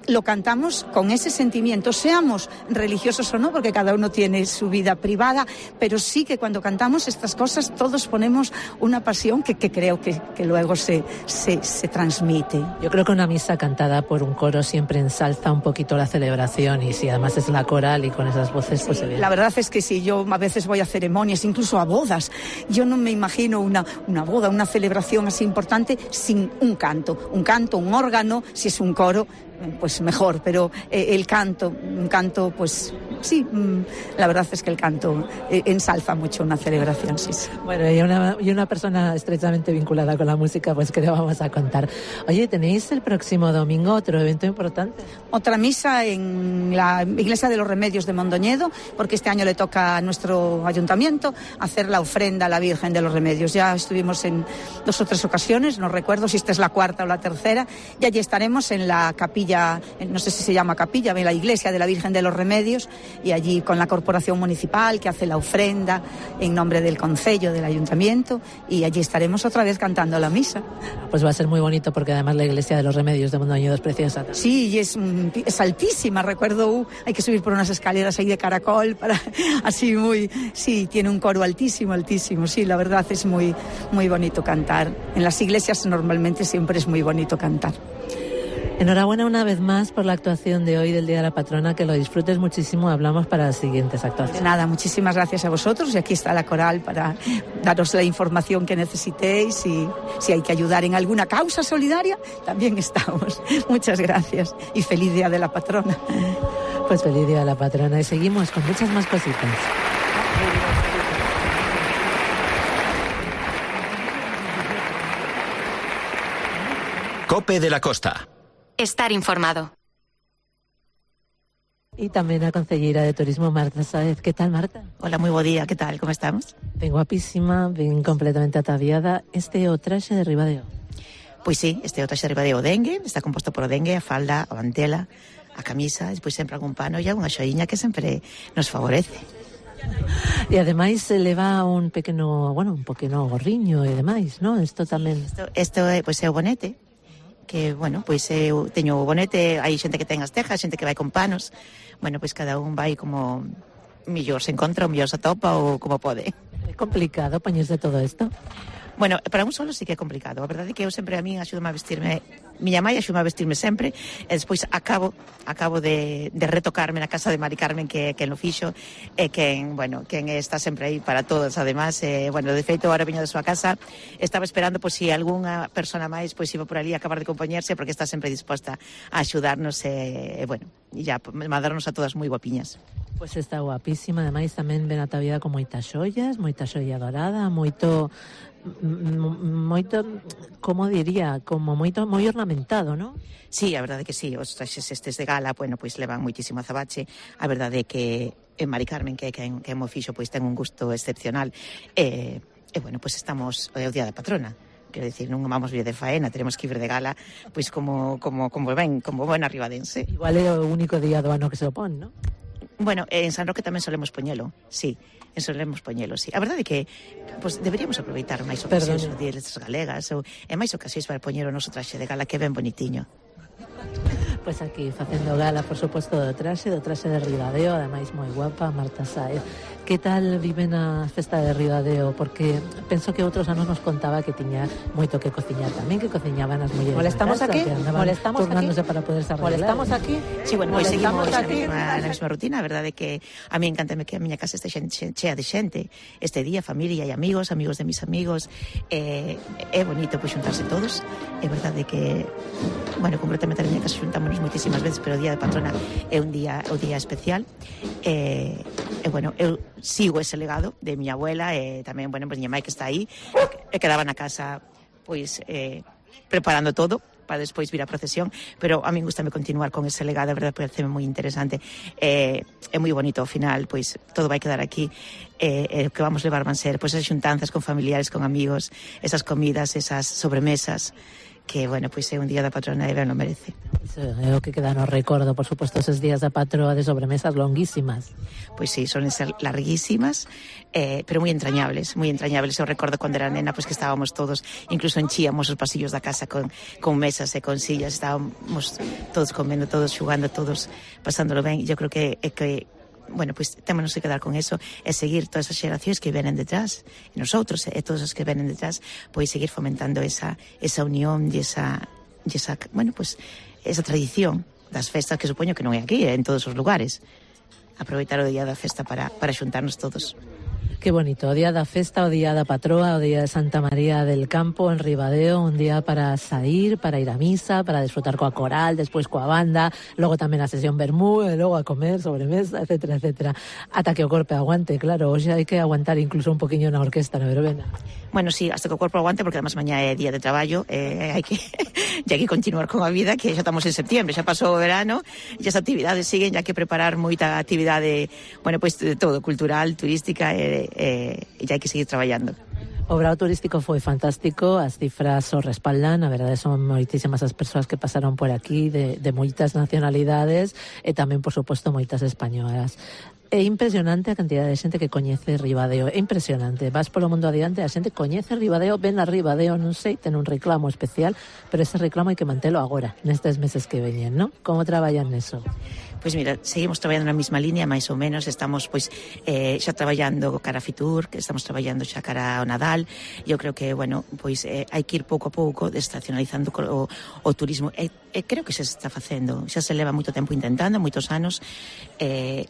Speaker 9: lo cantamos con ese sentimiento, seamos religiosos o no, porque cada uno tiene su vida privada, pero sí que cuando cantamos estas cosas todos ponemos una pasión que creo que luego se transmite.
Speaker 4: Yo creo que una misa cantada por un coro siempre ensalza un poquito la celebración y si además es la coral y con esas voces pues se ve.
Speaker 9: La verdad es que sí, yo a veces voy a ceremonias, incluso a bodas, yo no me imagino una boda, una celebración así importante sin un canto, un órgano, si es un coro pues mejor, pero un canto pues sí, la verdad es que el canto ensalza mucho una celebración, sí.
Speaker 4: Bueno, y una persona estrechamente vinculada con la música, pues que le vamos a contar. Oye, tenéis el próximo domingo otro evento importante.
Speaker 9: Otra misa en la Iglesia de los Remedios de Mondoñedo, porque este año le toca a nuestro ayuntamiento hacer la ofrenda a la Virgen de los Remedios. Ya estuvimos en 2 o 3 ocasiones, no recuerdo si esta es la 4ª o la 3ª, y allí estaremos en la capilla, no sé si se llama capilla, en la iglesia de la Virgen de los Remedios, y allí con la corporación municipal que hace la ofrenda en nombre del concello, del ayuntamiento, y allí estaremos otra vez cantando la misa.
Speaker 4: Pues va a ser muy bonito porque además la iglesia de los Remedios de Mondoñedo es preciosa.
Speaker 9: Sí, y es altísima, recuerdo, hay que subir por unas escaleras ahí de caracol para así sí, tiene un coro altísimo, sí, la verdad es muy, muy bonito cantar. En las iglesias normalmente siempre es muy bonito cantar.
Speaker 4: Enhorabuena una vez más por la actuación de hoy del Día de la Patrona, que lo disfrutes muchísimo. Hablamos para las siguientes actuaciones.
Speaker 9: Nada, muchísimas gracias a vosotros y aquí está la coral para daros la información que necesitéis y si hay que ayudar en alguna causa solidaria, también estamos. Muchas gracias y feliz Día de la Patrona.
Speaker 4: Pues feliz Día de la Patrona y seguimos con muchas más cositas.
Speaker 10: COPE de la Costa.
Speaker 3: Estar informado.
Speaker 4: Y tamén a concelleira de Turismo, Marta Sáez. Que tal, Marta?
Speaker 11: Hola, moi bo día, que tal, como estamos?
Speaker 4: Ben guapísima, ben completamente ataviada. Este é o traxe de Ribadeo.
Speaker 11: Pois sí, este é o traxe de Ribadeo dengue, está composto por o dengue, a falda, a mantela, a camisa, despois sempre algún pano e unha xoiña que sempre nos favorece.
Speaker 4: E ademais se leva un pequeno gorriño e demais, non? Isto tamén...
Speaker 11: Isto é, pois, é o bonete, que, bueno, pois eu teño o bonete, hai xente que ten as tejas, xente que vai con panos, bueno, pois cada un vai como mellor se encontra, ou mellor se atopa, ou como pode.
Speaker 4: É complicado poñerse todo isto?
Speaker 11: Bueno, para un solo sí que é complicado. A verdade é que eu sempre a min axúdame a vestirme, miña mãe axúdame a vestirme sempre, e despois acabo de retocarme na casa de Mari Carmen que no fixo, e quen está sempre aí para todos, además, bueno, de feito, agora viño da súa casa, estaba esperando pois si algunha persona máis pois iba por ali a acabar de compoñerse, porque está sempre disposta a axudarnos, bueno, e ya mandarnos a todas moi guapiñas.
Speaker 4: Pois está guapísima, ademais tamén ven ataviada con moitas xoia dorada, moito, como diría, como moi ornamentado, non?
Speaker 11: Sí, a verdade que sí, os traxes estes de gala, bueno, pois levan moitísimo azabache, a verdade é que Mari Carmen, que mo fixo, pois ten un gusto excepcional, e bueno, pois estamos o Día da Patrona. Quero dicir, non vamos vir de faena, teremos que ir de gala, pois como buena ribadense.
Speaker 4: Igual é o único día do ano que se opón, non?
Speaker 11: Bueno, en San Roque tamén solemos poñelo, sí. A verdade é que pues, deberíamos aproveitar máis ocasións os días galegas e máis ocasións para poñer o noso traxe de gala, que é ben bonitiño.
Speaker 4: Pois aquí, facendo gala, por suposto, do traxe de Ribadeo, ademais moi guapa, Marta Sáez. Que tal viven a festa de Ribadeo? Porque penso que outros anos nos contaba que tiña moito que cociñar tamén, que cociñaban as mulleres.
Speaker 11: ¿Molestamos aquí?
Speaker 4: ¿Molestamos turnándose aquí? Para poderse arreglar.
Speaker 11: ¿Molestamos aquí? Sí, bueno, pois seguimos na mesma rutina. A verdade é que a mí encántame que a miña casa este chea de xente. Este día, familia e amigos de mis amigos. É bonito pois xuntarse todos. É verdade que, bueno, completamente a miña casa xuntámonos moitísimas veces, pero o Día de Patrona é un día especial. Bueno, eu sigo ese legado de miña abuela e tamén, bueno, pues miña mãe que está aí e quedaba na casa pois preparando todo para despois vir a procesión, pero a min gustame continuar con ese legado, a verdade, parece moi interesante, é moi bonito ao final, pois todo vai quedar aquí, o que vamos levar van ser pois esas xuntanzas con familiares, con amigos, esas comidas, esas sobremesas, que, bueno, pois é un Día da Patrona e ben lo merece.
Speaker 4: É o que queda no recordo, por suposto, esos días da patroa de sobremesas longuísimas.
Speaker 11: Pois sí, son ser larguísimas, pero moi entrañables. Eu recordo cando era nena, pois que estábamos todos, incluso enchíamos os pasillos da casa con mesas e con sillas, estábamos todos comendo, todos xugando, todos pasándolo ben, e eu creo que bueno, pois temos que quedar con eso e seguir todas as xeracións que venen detrás, e nosotros e todos os que venen detrás, pois seguir fomentando esa unión e esa, bueno, pois esa tradición das festas, que supoño que non é aquí, en todos os lugares. Aproveitar o día da festa para xuntarnos todos.
Speaker 4: Que bonito, o día da festa, o día da patroa, o día de Santa María del Campo en Ribadeo, un día para sair, para ir a misa, para disfrutar coa coral, despois coa banda, logo tamén a sesión vermú, e logo a comer, sobremesa, etcétera, etcétera. Ata que o corpo aguante, claro, hoxe hai que aguantar incluso un poquinho na orquesta, na verbena.
Speaker 11: Bueno, sí, hasta que o corpo aguante, porque además mañá é día de traballo, hai que continuar con a vida, que xa estamos en septiembre, xa pasou o verano, e as actividades siguen, xa que preparar moita actividade, bueno, pois todo, cultural, turística, e hai que seguir traballando.
Speaker 4: O brao turístico foi fantástico, as cifras o respaldan, a verdade son moitísimas as persoas que pasaron por aquí de moitas nacionalidades e tamén, por suposto, moitas españolas. É impresionante a cantidad de xente que coñece Ribadeo, é impresionante. Vas polo mundo adiante, a xente coñece Ribadeo, ven a Ribadeo, non sei, ten un reclamo especial, pero ese reclamo hai que mantelo agora, nestes meses que veñen, non? Como traballan neso?
Speaker 11: Pois mira, seguimos traballando na mesma línea, máis ou menos, estamos xa traballando cara a Fitur, que estamos traballando xa cara ao Nadal. Eu creo que, bueno, pois hai que ir pouco a pouco desestacionalizando o turismo, e creo que se está facendo, xa se leva moito tempo intentando, moitos anos,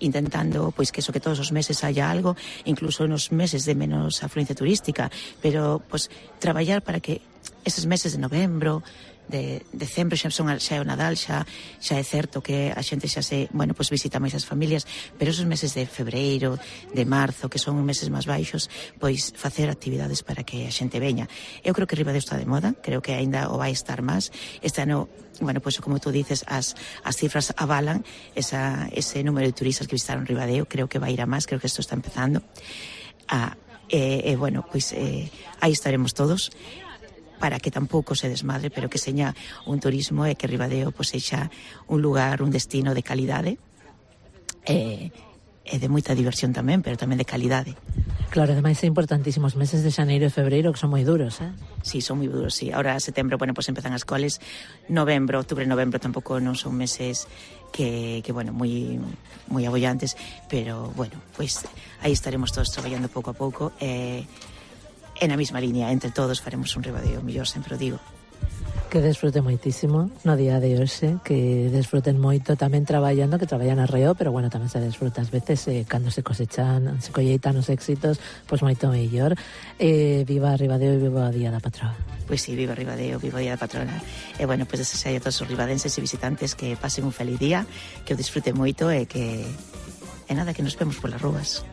Speaker 11: intentando pois que todos os meses haya algo, incluso nos meses de menos afluencia turística, pero pois traballar para que eses meses de novembro, de decembro xa é o Nadal, xa é certo que a xente xa se, bueno, pois visita máis as familias, pero esos meses de febreiro, de marzo, que son meses máis baixos, pois facer actividades para que a xente veña. Eu creo que Ribadeo está de moda, creo que aínda o vai estar máis. Este ano, bueno, pois como tú dices, as cifras avalan ese número de turistas que visitaron Ribadeo, creo que vai ir a máis, creo que isto está empezando. Bueno, pois aí estaremos todos, para que tampouco se desmadre, pero que seña un turismo e que Ribadeo pois sexa un lugar, un destino de calidade e de moita diversión tamén, pero tamén de calidade.
Speaker 4: Claro, ademais é importantísimos meses de xaneiro e febreiro, que son moi duros,
Speaker 11: Sí, son moi duros, sí. Ahora, setembro, bueno, pois empezan as coles. Novembro, outubro e novembro tampouco non son meses que bueno, moi abollantes, pero, bueno, pois aí estaremos todos traballando pouco a pouco e na mesma línea, entre todos faremos un Ribadeo mellor, sempre o digo.
Speaker 4: Que desfruten moitísimo no día de hoxe, que desfruten moito tamén traballando, que traballan arreo, pero bueno, tamén se desfruta ás veces cando se cosechan, se colleitan os éxitos, pois moito mellor. Viva Ribadeo e viva o Día da Patroa.
Speaker 11: Pois sí, viva Ribadeo, viva o Día da Patrona. E bueno, pois desexar a todos os ribadenses e visitantes que pasen un feliz día, que o disfruten moito e que nada, que nos vemos polas rúas.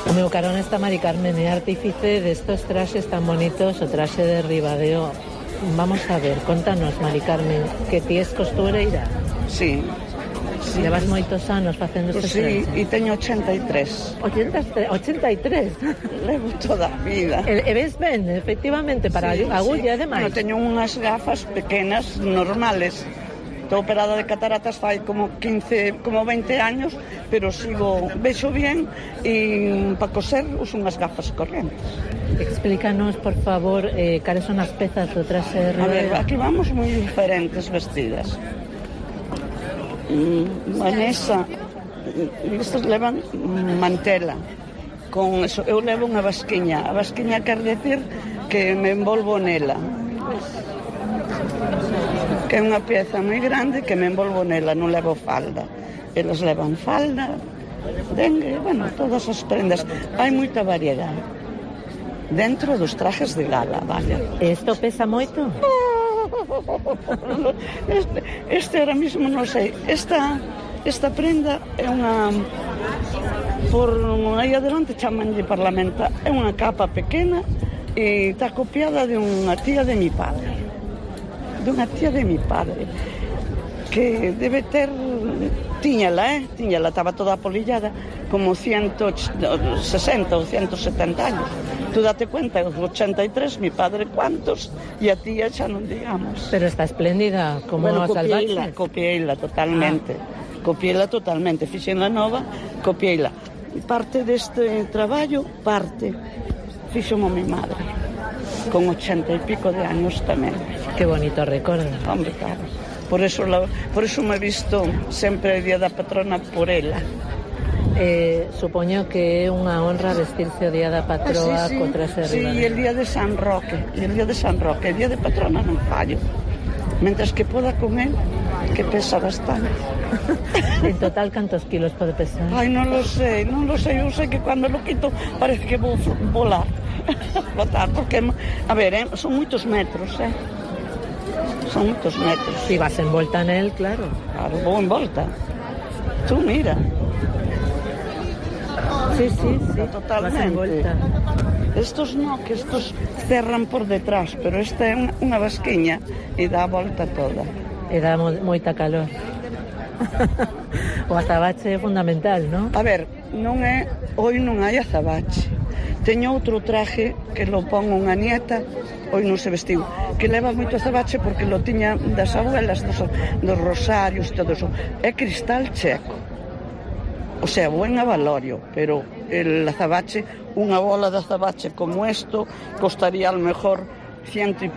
Speaker 4: O meu carón está Mari Carmen, é artífice destos traxes tan bonitos, o traxe de Ribadeo. Vamos a ver, contanos, Mari Carmen, que ti es costureira?
Speaker 10: Sí.
Speaker 4: Levas moitos anos facendo estes traxes?
Speaker 10: Sí, e teño 83.
Speaker 4: 83?
Speaker 10: Levo toda a vida.
Speaker 4: E ves ben, efectivamente, para agulla, ademais?
Speaker 10: Bueno, teño unhas gafas pequenas, normales. Estou operada de cataratas fai como 20 años, pero vexo bien e para coser uso unhas gafas correntes.
Speaker 4: Explícanos, por favor, cales son as pezas do traxe de Ribadeo.
Speaker 10: A ver, aquí vamos moi diferentes vestidas. Vanessa, estes levan mantela. Con eso, eu levo unha basquiña. A basquiña quer decir que me envolvo nela. Que é unha pieza moi grande que me envolvo nela, non levo falda. Elas levan falda, dengue, bueno, todas as prendas. Hai moita variedade dentro dos trajes de gala, vale.
Speaker 4: Isto pesa moito?
Speaker 10: Este ahora mismo non sei. Esta prenda é unha... Por aí adelante chamanlle parlamenta. É unha capa pequena e está copiada de unha tía de mi padre. Dunha tía de mi padre que debe ter tiñala, estaba toda apolillada como 160 ou 170 anos. Tú date cuenta, 83, mi padre cuántos, e a tía xa non digamos.
Speaker 4: Pero está espléndida, como a salvaxe.
Speaker 10: Copiéila totalmente. Copiéila totalmente, fixen la nova, copiéila. Parte deste traballo, fixo mi madre, con 80 e pico de años tamén.
Speaker 4: Que bonito recordo.
Speaker 10: Hombre, claro. Por eso me he visto sempre o Día da Patrona por ela.
Speaker 4: Supoño que é unha honra vestirse o Día da Patroa co traxe de Ribadeo.
Speaker 10: Sí, el Día de San Roque. El Día de Patrona non fallo. Mentres que poda con él, que pesa bastante.
Speaker 4: En total, cantos kilos pode pesar?
Speaker 10: Ai, non lo sei. Eu sei que cando lo quito parece que vou volar. Porque, a ver, son moitos metros, son moitos metros.
Speaker 4: Si vas en volta nel, claro.
Speaker 10: Claro, vou en volta. Tú mira.
Speaker 4: Sí,
Speaker 10: totalmente.
Speaker 4: vas en volta.
Speaker 10: Estos no, que estos cerran por detrás, pero esta é unha vasquiña e dá a volta toda.
Speaker 4: E dá moita calor. O azabache é fundamental, non?
Speaker 10: A ver, hoy non hai azabache. Teño outro traje que lo pon unha nieta, hoy non se vestiu, que leva moito azabache porque lo tiña das abuelas, dos rosarios, todo eso. É cristal checo. O sea, buen avalorio, pero el azabache, unha bola de azabache como esto, costaría a lo mejor 100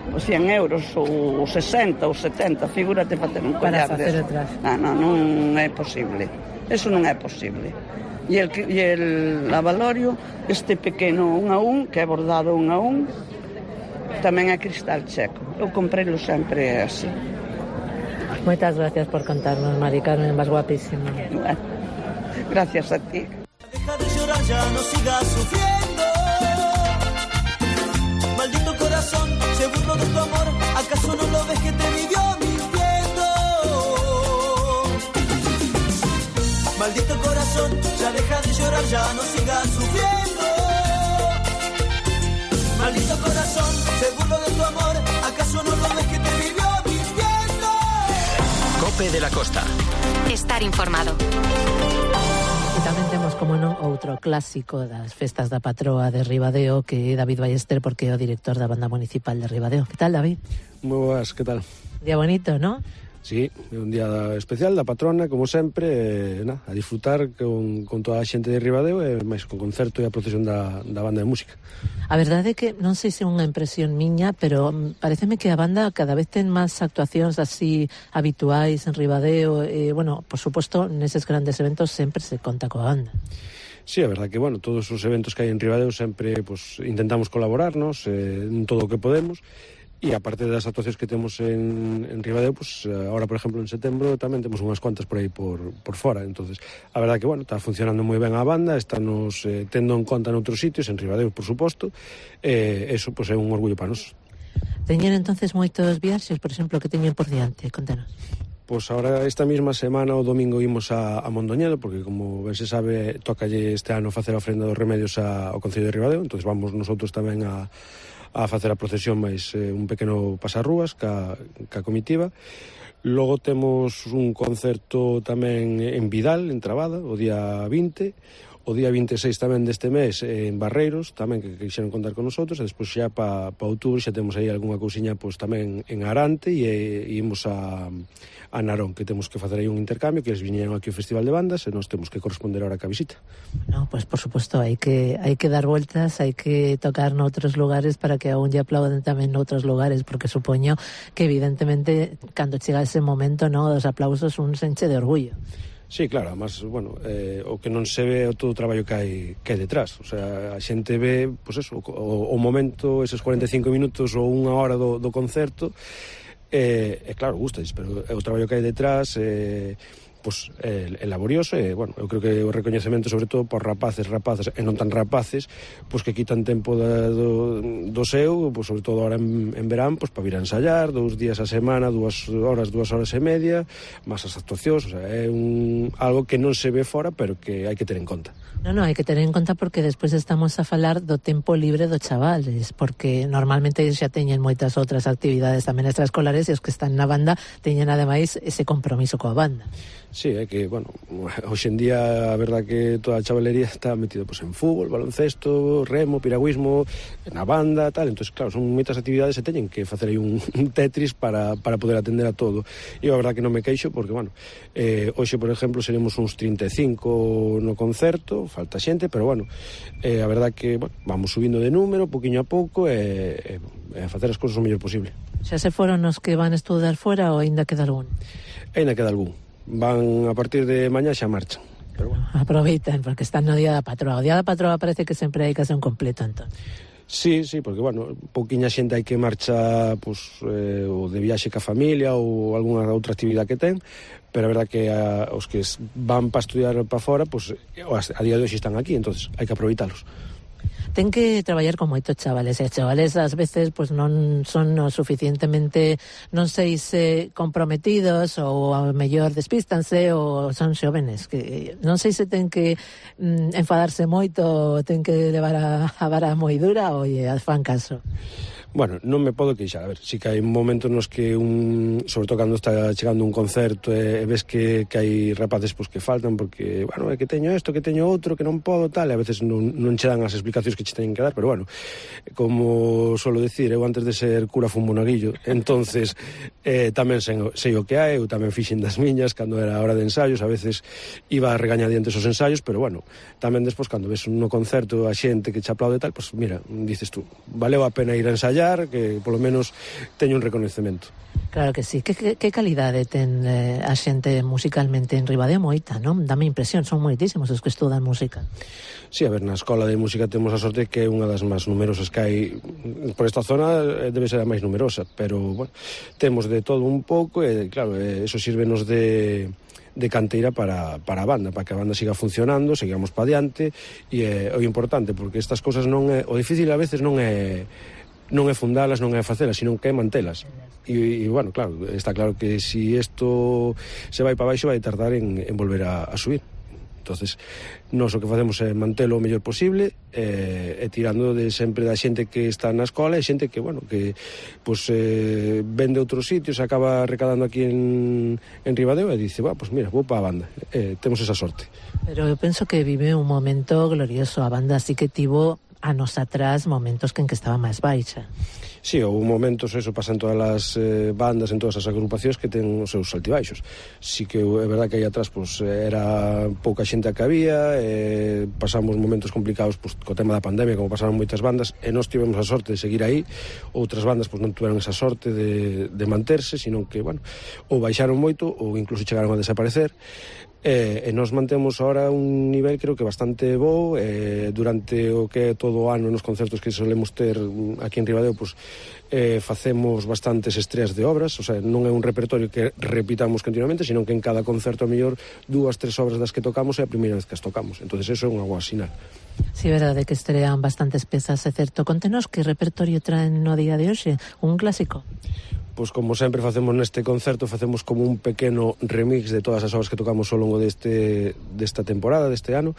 Speaker 10: euros ou 60 ou 70, figúrate facer un collar
Speaker 4: para facer atrás.
Speaker 10: Non é posible, eso non é posible. E el avalorio, este pequeno 1 a 1, que é bordado 1 a 1, tamén é cristal checo. Eu comprei-lo sempre así.
Speaker 4: Moitas gracias por contarnos, Mari Carmen, vas guapísima.
Speaker 10: Gracias a ti.
Speaker 8: Deja de llorar, ya no sigas sufriendo. Maldito corazón, se burló de tu amor. ¿Acaso no lo ves que te vivió mintiendo? Maldito corazón, ya deja de llorar, ya no sigas sufriendo. Maldito corazón, se burló de tu amor. ¿Acaso no lo ves que te vivió mintiendo?
Speaker 6: Cope de la Costa.
Speaker 3: Estar informado.
Speaker 4: E tamén temos, como non, outro clásico das festas da patroa de Ribadeo, que é David Ballester, porque é o director da Banda Municipal de Ribadeo. Que tal, David?
Speaker 12: Moi boas, que tal?
Speaker 4: Día bonito, non?
Speaker 12: Sí, é un día especial da patrona, como sempre, a disfrutar con toda a xente de Ribadeo e máis con concerto e a procesión da banda de música.
Speaker 4: A verdade é que non sei se é unha impresión miña, pero pareceme que a banda cada vez ten máis actuacións así habituais en Ribadeo e, bueno, por suposto, neses grandes eventos sempre se conta coa banda.
Speaker 12: Sí, é verdad que, bueno, todos os eventos que hai en Ribadeo sempre intentamos colaborarnos en todo o que podemos. E aparte das actuacións que temos en Ribadeo, agora, por exemplo, en setembro tamén temos unhas cuantas por aí por fora. Entonces, a verdade que, bueno, está funcionando moi ben a banda, estános tendo en conta noutros sitios, en Ribadeo, por suposto, eso é un orgullo para nós.
Speaker 4: Teñen entonces moitos viaxes, por exemplo, que teñen por diante? Contanos.
Speaker 12: Pois agora, esta mesma semana, o domingo, imos a Mondoñedo, porque, como ben se sabe, tócalle este ano facer a ofrenda dos remedios ao Concello de Ribadeo, entonces vamos nosotros tamén a facer a procesión máis un pequeno pasarrúas ca comitiva. Logo temos un concerto tamén en Vidal, en Trabada, o día 20, o día 26 tamén deste mes en Barreiros, tamén que quixeron contar con nosotros, e despois xa pa outubro xa temos aí algunha cousiña tamén en Arante e imos a Narón, que temos que facer aí un intercambio, que eles viñeron aquí ao Festival de Bandas e nos temos que corresponder ahora ca visita.
Speaker 4: No, pues por suposto, hai que dar vueltas, hai que tocar noutros lugares para que aún lle aplauden tamén noutros lugares, porque supoño que evidentemente cando chega ese momento, no, os aplausos un se enche de orgullo.
Speaker 12: Sí, claro, además, bueno, o que non se ve é todo o traballo que hai detrás. O sea, a xente ve, pois eso, o momento, eses 45 minutos ou unha hora do concerto, claro, gustais, pero o traballo que hai detrás é laborioso e, bueno, eu creo que o recoñecemento sobre todo por rapazes e non tan rapaces, que quitan tempo do seu, sobre todo ahora en verán, para vir a ensayar 2 días a semana, 2 horas e media, máis as actuacións, o sea, é algo que non se ve fora, pero que hai que ter en conta.
Speaker 4: Non, hai que ter en conta porque despois estamos a falar do tempo libre dos chavales, porque normalmente xa teñen moitas outras actividades tamén extraescolares e os que están na banda teñen ademais ese compromiso coa banda.
Speaker 12: Sí, é que, bueno, hoxe en día a verdad que toda a chavalería está metido en fútbol, baloncesto, remo, piragüismo, na banda, tal, entón, claro, son moitas actividades e teñen que facer aí un tetris para poder atender a todo. E a verdad que non me queixo porque, bueno, hoxe, por exemplo, seremos uns 35 no concerto, falta xente, pero, bueno, a verdad que, bueno, vamos subindo de número, poquinho a pouco, e a facer as cousas o mellor posible.
Speaker 4: Xa se foron os que van estudar fora ou ainda queda algún?
Speaker 12: Ainda queda algún. Van a partir de mañá xa marchan. Pero bueno.
Speaker 4: Aproveitan, porque están no Día da Patroa. O Día da Patroa parece que sempre hai que ser un completo, entón.
Speaker 12: Sí, porque, bueno, pouquiña xente hai que marcha ou de viaxe ca familia ou algunha outra actividade que ten, pero a verdad que os que van para estudiar para fora, a día de hoxe están aquí, entonces hai que aproveitalos.
Speaker 4: ten que traballar con moitos chavales, e chavales ás veces pois non son o suficientemente, non sei se comprometidos ou ao mellor despístanse ou son xóvenes, que non sei se ten que enfadarse moito, ten que levar a vara moi dura ou fan caso.
Speaker 12: Bueno, non me podo queixar, a ver, si que hai momentos nos que sobre todo cando está chegando un concerto e ves que hai rapaces que faltan porque, bueno, é que teño isto, que teño outro, que non podo, tal, e a veces non che dan as explicacións que che teñen que dar, pero bueno, como solo decir, eu antes de ser cura fun monaguillo, entonces tamén sei o que hai, eu tamén fixen das miñas cando era a hora de ensaios, a veces iba a regañadientes os ensaios, pero bueno, tamén despois cando ves no concerto a xente que che aplaude tal, pues mira, dices tú, valeu a pena ir a ensaiar, que polo menos teño un reconhecemento.
Speaker 4: Claro que sí. Que calidade ten a xente musicalmente en Ribadeo? Moita, non? Dame impresión, son moitísimos os que estudan música.
Speaker 12: Sí, a ver, na escola de música temos a sorte que é unha das máis numerosas que hai por esta zona, debe ser a máis numerosa, pero, bueno, temos de todo un pouco e, claro, eso sírvenos de canteira para a banda, para que a banda siga funcionando, sigamos pa diante, e é o importante, porque estas cousas non é, o difícil a veces non é fundalas, non é facelas, sino que é mantelas. E bueno, claro, está claro que si isto se vai para baixo vai tardar en volver a subir. Entonces, nós o que facemos é mantelo o mellor posible e tirando de sempre da xente que está na escola e xente que, bueno, que pues, vende outros sitios, acaba recadando aquí en Ribadeo e dice, pues mira, vou para a banda. Temos esa sorte.
Speaker 4: Pero eu penso que vive un momento glorioso. A banda sí que tivo anos atrás momentos que estaba máis baixa.
Speaker 12: Sí, houve momentos, eso pasa en todas as bandas, en todas as agrupacións que ten os seus altibaixos. Sí que é verdad que aí atrás pues, era pouca xente a que había, pasamos momentos complicados pues, co tema da pandemia, como pasaron moitas bandas, e nós tivemos a sorte de seguir aí. Outras bandas pues, non tiveron esa sorte de manterse, sino que, bueno, ou baixaron moito ou incluso chegaron a desaparecer. E nos mantemos ahora un nivel creo que bastante bo durante o que é todo o ano nos concertos que solemos ter aquí en Ribadeo pues, facemos bastantes estreas de obras, o sea, non é un repertorio que repitamos continuamente, sino que en cada concerto a mellor 2-3 obras das que tocamos é a primeira vez que as tocamos, entonces eso é unha boa sinal.
Speaker 4: Sí, verdade que estrean bastantes pezas, é certo. Contenos que repertorio traen no día de hoxe, un clásico?
Speaker 12: Pois como sempre facemos neste concerto, facemos como un pequeno remix de todas as obras que tocamos ao longo desta temporada, deste ano,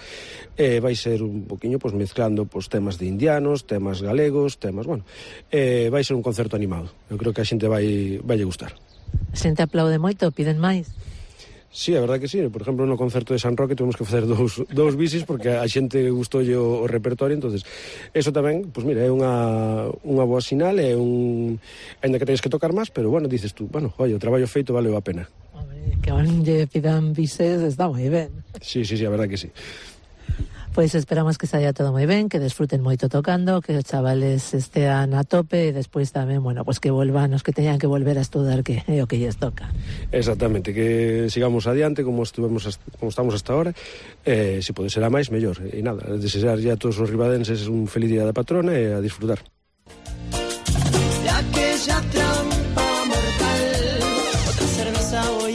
Speaker 12: e vai ser un poquinho pues, mezclando pues, temas de indianos, temas galegos, temas, bueno, vai ser un concerto animado. Eu creo que a xente vai gustar.
Speaker 4: A xente aplaude moito, piden máis?
Speaker 12: Sí, a verdade que sí. Por exemplo, no concerto de San Roque tuvemos que facer dous bisis porque a xente gustoulle o repertorio, entonces eso tamén, pois mira, é unha boa sinal, é ainda que tenes que tocar máis, pero bueno, dices tú, bueno, oye, o traballo feito valeu a pena.
Speaker 4: Hombre, que lle pidan bises está moi ben.
Speaker 12: Sí, a verdade que sí.
Speaker 4: Pois esperamos que saia todo moi ben, que desfruten moito tocando, que os chavales estean a tope e despois tamén, bueno, pues que volvan os que teñan que volver a estudar, que é o que lles toca.
Speaker 12: Exactamente, que sigamos adiante como estamos hasta ahora, se pode ser a máis, mellor. E nada, desear ya a todos os ribadenses un feliz día da patrona e a disfrutar.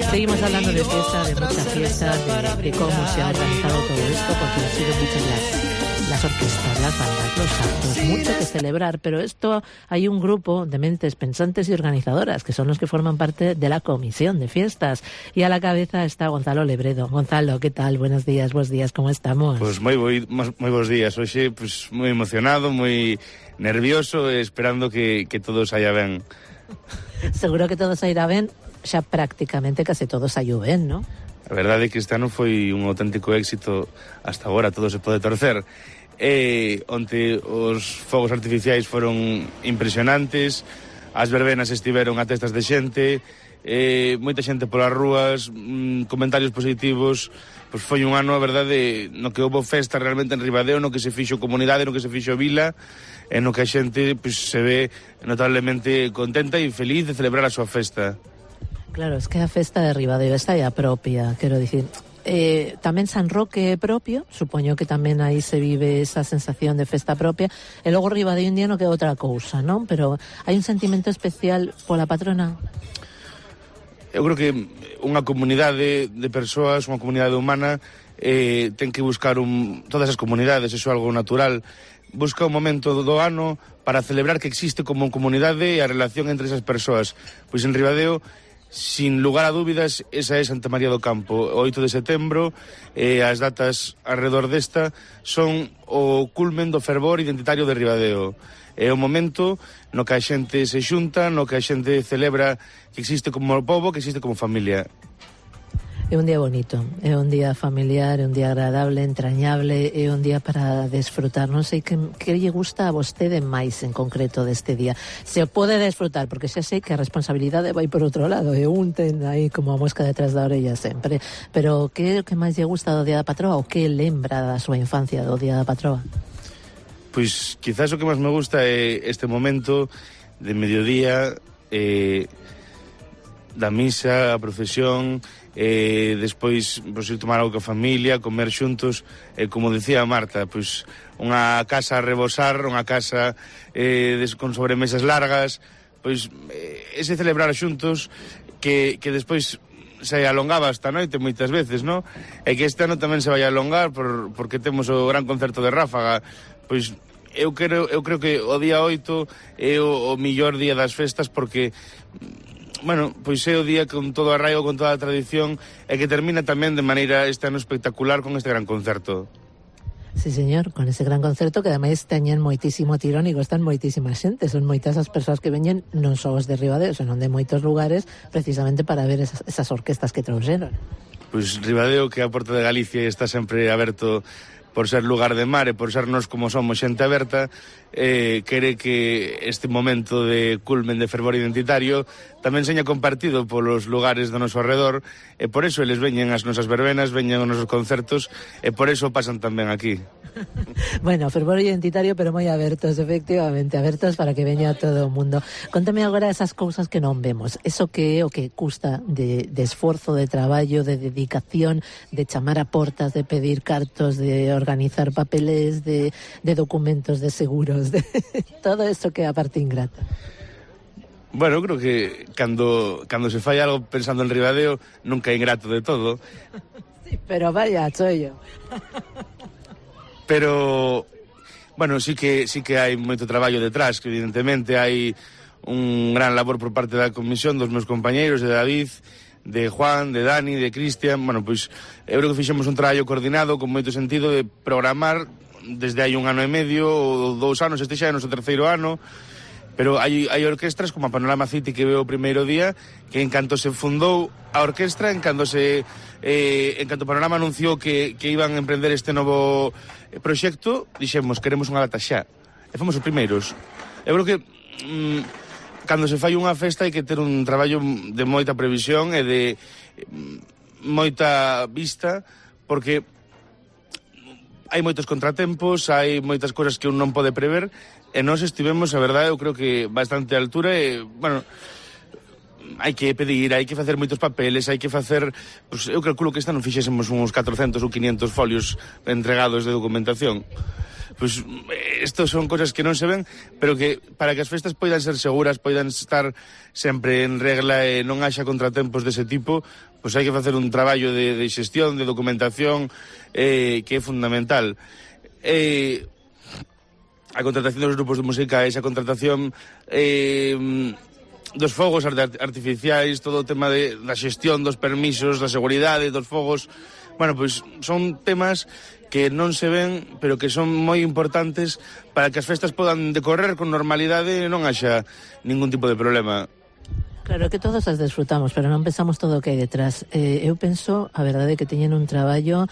Speaker 4: Seguimos hablando de fiesta, de mucha fiesta, de cómo se ha organizado todo esto, porque han sido muchas las orquestas, las bandas, los actos, mucho que celebrar, pero esto hay un grupo de mentes pensantes y organizadoras, que son los que forman parte de la comisión de fiestas, y a la cabeza está Gonzalo Lebredo. Gonzalo, ¿qué tal? Buenos días, ¿cómo estamos?
Speaker 13: Pues moi bons días, hoxe pues, moi emocionado, moi nervioso, esperando que todo saia ben.
Speaker 4: Seguro que todo sairá ben, xa prácticamente case todo saiu ben, non?
Speaker 13: A verdade é que este ano foi un auténtico éxito hasta agora, todo se pode torcer. Onte os fogos artificiais foron impresionantes, as verbenas estiveron a testas de xente, moita xente polas rúas, comentarios positivos, pois foi un ano, a verdade, no que houve festa realmente en Ribadeo, no que se fixo comunidade, no que se fixo vila, e no que a xente pois, se ve notablemente contenta e feliz de celebrar a súa festa.
Speaker 4: Claro, es que a festa de Ribadeo está ya propia, quero dicir. Tamén San Roque é propio, supoño que tamén aí se vive esa sensación de festa propia, e logo Ribadeo indiano que é outra cousa, non? Pero hai un sentimento especial pola patrona?
Speaker 13: Eu creo que unha comunidade de persoas, unha comunidade humana, ten que buscar todas as comunidades, iso é algo natural, busca un momento do ano para celebrar que existe como comunidade e a relación entre esas persoas. Pois en Ribadeo, sin lugar a dúbidas, esa é Santa María do Campo. O 8 de setembro, as datas alrededor desta son o culmen do fervor identitario de Ribadeo. É o momento no que a xente se xunta, no que a xente celebra que existe como pobo, que existe como familia.
Speaker 4: É un día bonito, é un día familiar, é un día agradable, entrañable, é un día para desfrutar. Non sei que lle gusta a vostede máis en concreto deste día. Se o pode desfrutar, porque xa sei que a responsabilidade vai por outro lado, e un ten aí como a mosca detrás da orella sempre. Pero que é o que máis lle gusta do Día da Patroa, ou que lembra da súa infancia do Día da Patroa?
Speaker 13: Pois quizás o que máis me gusta é este momento de mediodía, da misa, a procesión, despois pois, ir tomar algo coa familia, comer xuntos, como decía Marta, pois unha casa a rebosar, unha casa con sobremesas largas, pois ese celebrar xuntos que despois se alongaba hasta noite moitas veces, non? E que este ano tamén se vai alongar porque temos o gran concerto de Ráfaga. Pois eu creo que o día 8 é o millor día das festas porque, bueno, pois é o día con todo o arraigo, con toda a tradición e que termina tamén de maneira este ano espectacular con este gran concerto.
Speaker 4: Sí, señor, con ese gran concerto que ademais teñen moitísimo tirón e gostan moitísima xente. Son moitas as persoas que veñen non só os de Ribadeo, senón de moitos lugares precisamente para ver esas orquestas que trouxeron.
Speaker 13: Pois Ribadeo, que é a porta de Galicia e está sempre aberto por ser lugar de mar e por sernos como somos xente aberta, quere que este momento de culmen de fervor identitario tamén seña compartido polos lugares do noso arredor e por eso eles veñen as nosas verbenas, veñen os nosos concertos e por eso pasan tamén aquí.
Speaker 4: Bueno, fervor identitario pero moi abertos, efectivamente, abertos para que veña todo o mundo. Contame agora esas cousas que non vemos, eso que é o que custa de esforzo, de traballo, de dedicación, de chamar a portas, de pedir cartos, de organizar papeles, de documentos, de seguros, de todo eso que é a parte ingrata.
Speaker 13: Bueno, eu creo que cando se fai algo pensando en Ribadeo nunca é ingrato de todo.
Speaker 4: Sí, pero vaya, chollo.
Speaker 13: Pero, bueno, sí que hai moito traballo detrás, que evidentemente hai un gran labor por parte da comisión, dos meus compañeiros, de David, de Juan, de Dani, de Cristian. Bueno, pois, eu creo que fixemos un traballo coordinado con moito sentido de programar desde hai 1 ano e medio ou 2 anos, este xa é o noso 3º ano, pero hai orquestras como a Panorama City que veo o primeiro día, que en canto se fundou a orquestra, en canto Panorama anunciou que iban a emprender este novo proxecto, dixemos, queremos unha data xa, e fomos os primeiros. Eu creo que cando se fai unha festa hai que ter un traballo de moita previsión e de moita vista, porque hai moitos contratempos, hai moitas cousas que un non pode prever, e nós estivemos, a verdade, eu creo que bastante a altura e, bueno, hai que pedir, hai que facer moitos papeles, hai que facer, pues, eu calculo que esta non fixésemos uns 400 ou 500 folios entregados de documentación. Pois estos son cosas que non se ven, pero que para que as festas poidan ser seguras, poidan estar sempre en regla e non haxa contratempos dese tipo, pois hai que facer un traballo de xestión, de documentación, que é fundamental. A contratación dos grupos de música, esa contratación dos fogos artificiais, todo o tema da xestión dos permisos, da seguridade dos fogos. Bueno, pois son temas que non se ven, pero que son moi importantes para que as festas podan decorrer con normalidade e non haxa ningún tipo de problema.
Speaker 4: Claro que todos as desfrutamos, pero non pensamos todo o que hai detrás. Eu penso, a verdade, que teñen un traballo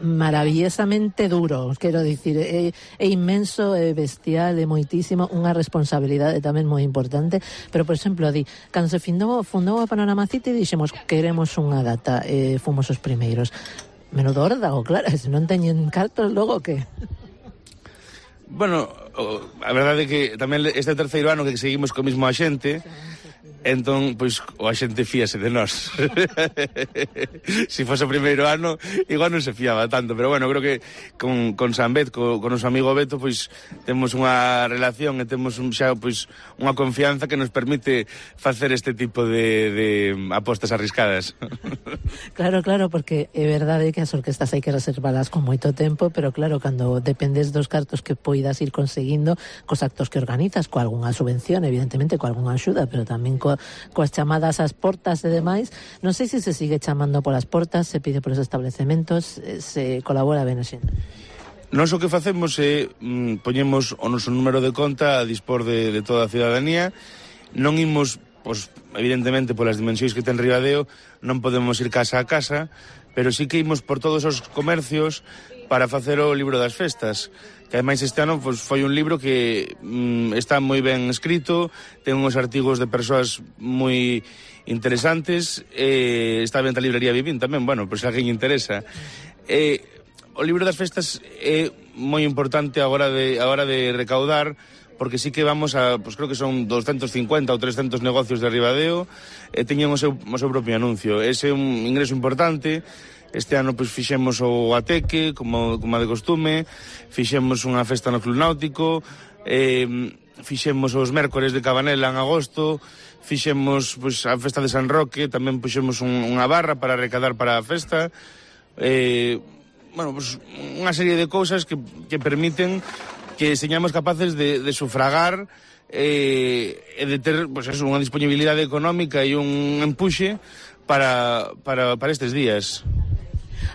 Speaker 4: maravillosamente duro, quero dicir, é inmenso, é bestial, é moitísimo, unha responsabilidade tamén moi importante, pero, por exemplo, cando se fundou a Panorama City, dixemos, queremos unha data, fomos os primeiros. Menudo órdago, claro, se non teñen cartos, logo que...
Speaker 13: Bueno, a verdade é que tamén este 3º ano que seguimos co mismo axente, Entón, pois, a xente fíase de nós. Se fose o primeiro ano, igual non se fiaba tanto, pero bueno, creo que con San Bet, con o noso amigo Beto, pois, temos unha relación e temos xa, pois, unha confianza que nos permite facer este tipo de apostas arriscadas.
Speaker 4: Claro, porque é verdade que as orquestas hai que reservalas con moito tempo, pero claro, cando dependes dos cartos que poidas ir conseguindo cos actos que organizas, co algunha subvención, evidentemente, co algunha axuda, pero tamén coas chamadas ás portas e demais, non sei se sigue chamando polas portas, se pide polos establecementos, se colabora ben a xente.
Speaker 13: Nós o que facemos é poñemos o noso número de conta a dispor de toda a cidadanía. Non imos, pois, evidentemente, polas dimensións que ten Ribadeo, non podemos ir casa a casa, pero sí que imos por todos os comercios para facer o libro das festas, que ademais este ano pois, foi un libro que está moi ben escrito, ten uns artigos de persoas moi interesantes, está ben a librería Vivín tamén, bueno, pois se alguén interesa. O libro das festas é moi importante a hora de recaudar, porque sí que vamos a, pois creo que son 250 ou 300 negocios de Ribadeo, e teñen o seu propio anuncio. Ese é un ingreso importante. Este ano pois fixemos o Ateque, como de costume, fixemos unha festa no Club Náutico, fixemos os mércores de Cabanela en agosto, fixemos pois a festa de San Roque, tamén puxemos unha barra para recadar para a festa. Bueno, pois unha serie de cousas que permiten que señamos capaces de sufragar e de ter pois eso, unha disponibilidade económica e un empuxe para estes días.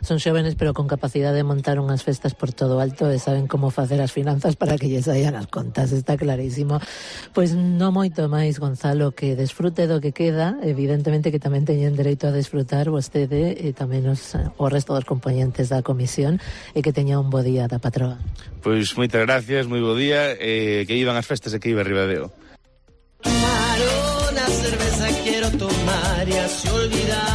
Speaker 4: Son xóvenes pero con capacidade de montar unhas festas por todo alto e saben como facer as finanzas para que lles saían as contas, está clarísimo. Pois non moito máis, Gonzalo, que desfrute do que queda, evidentemente que tamén teñen dereito a desfrutar vostede e tamén o resto dos componentes da comisión, e que teña un bo día da patroa.
Speaker 13: Pois moitas gracias, moi bo día, que iban as festas e que iba Ribadeo.
Speaker 8: Tomar una cerveza quiero tomar y así olvidar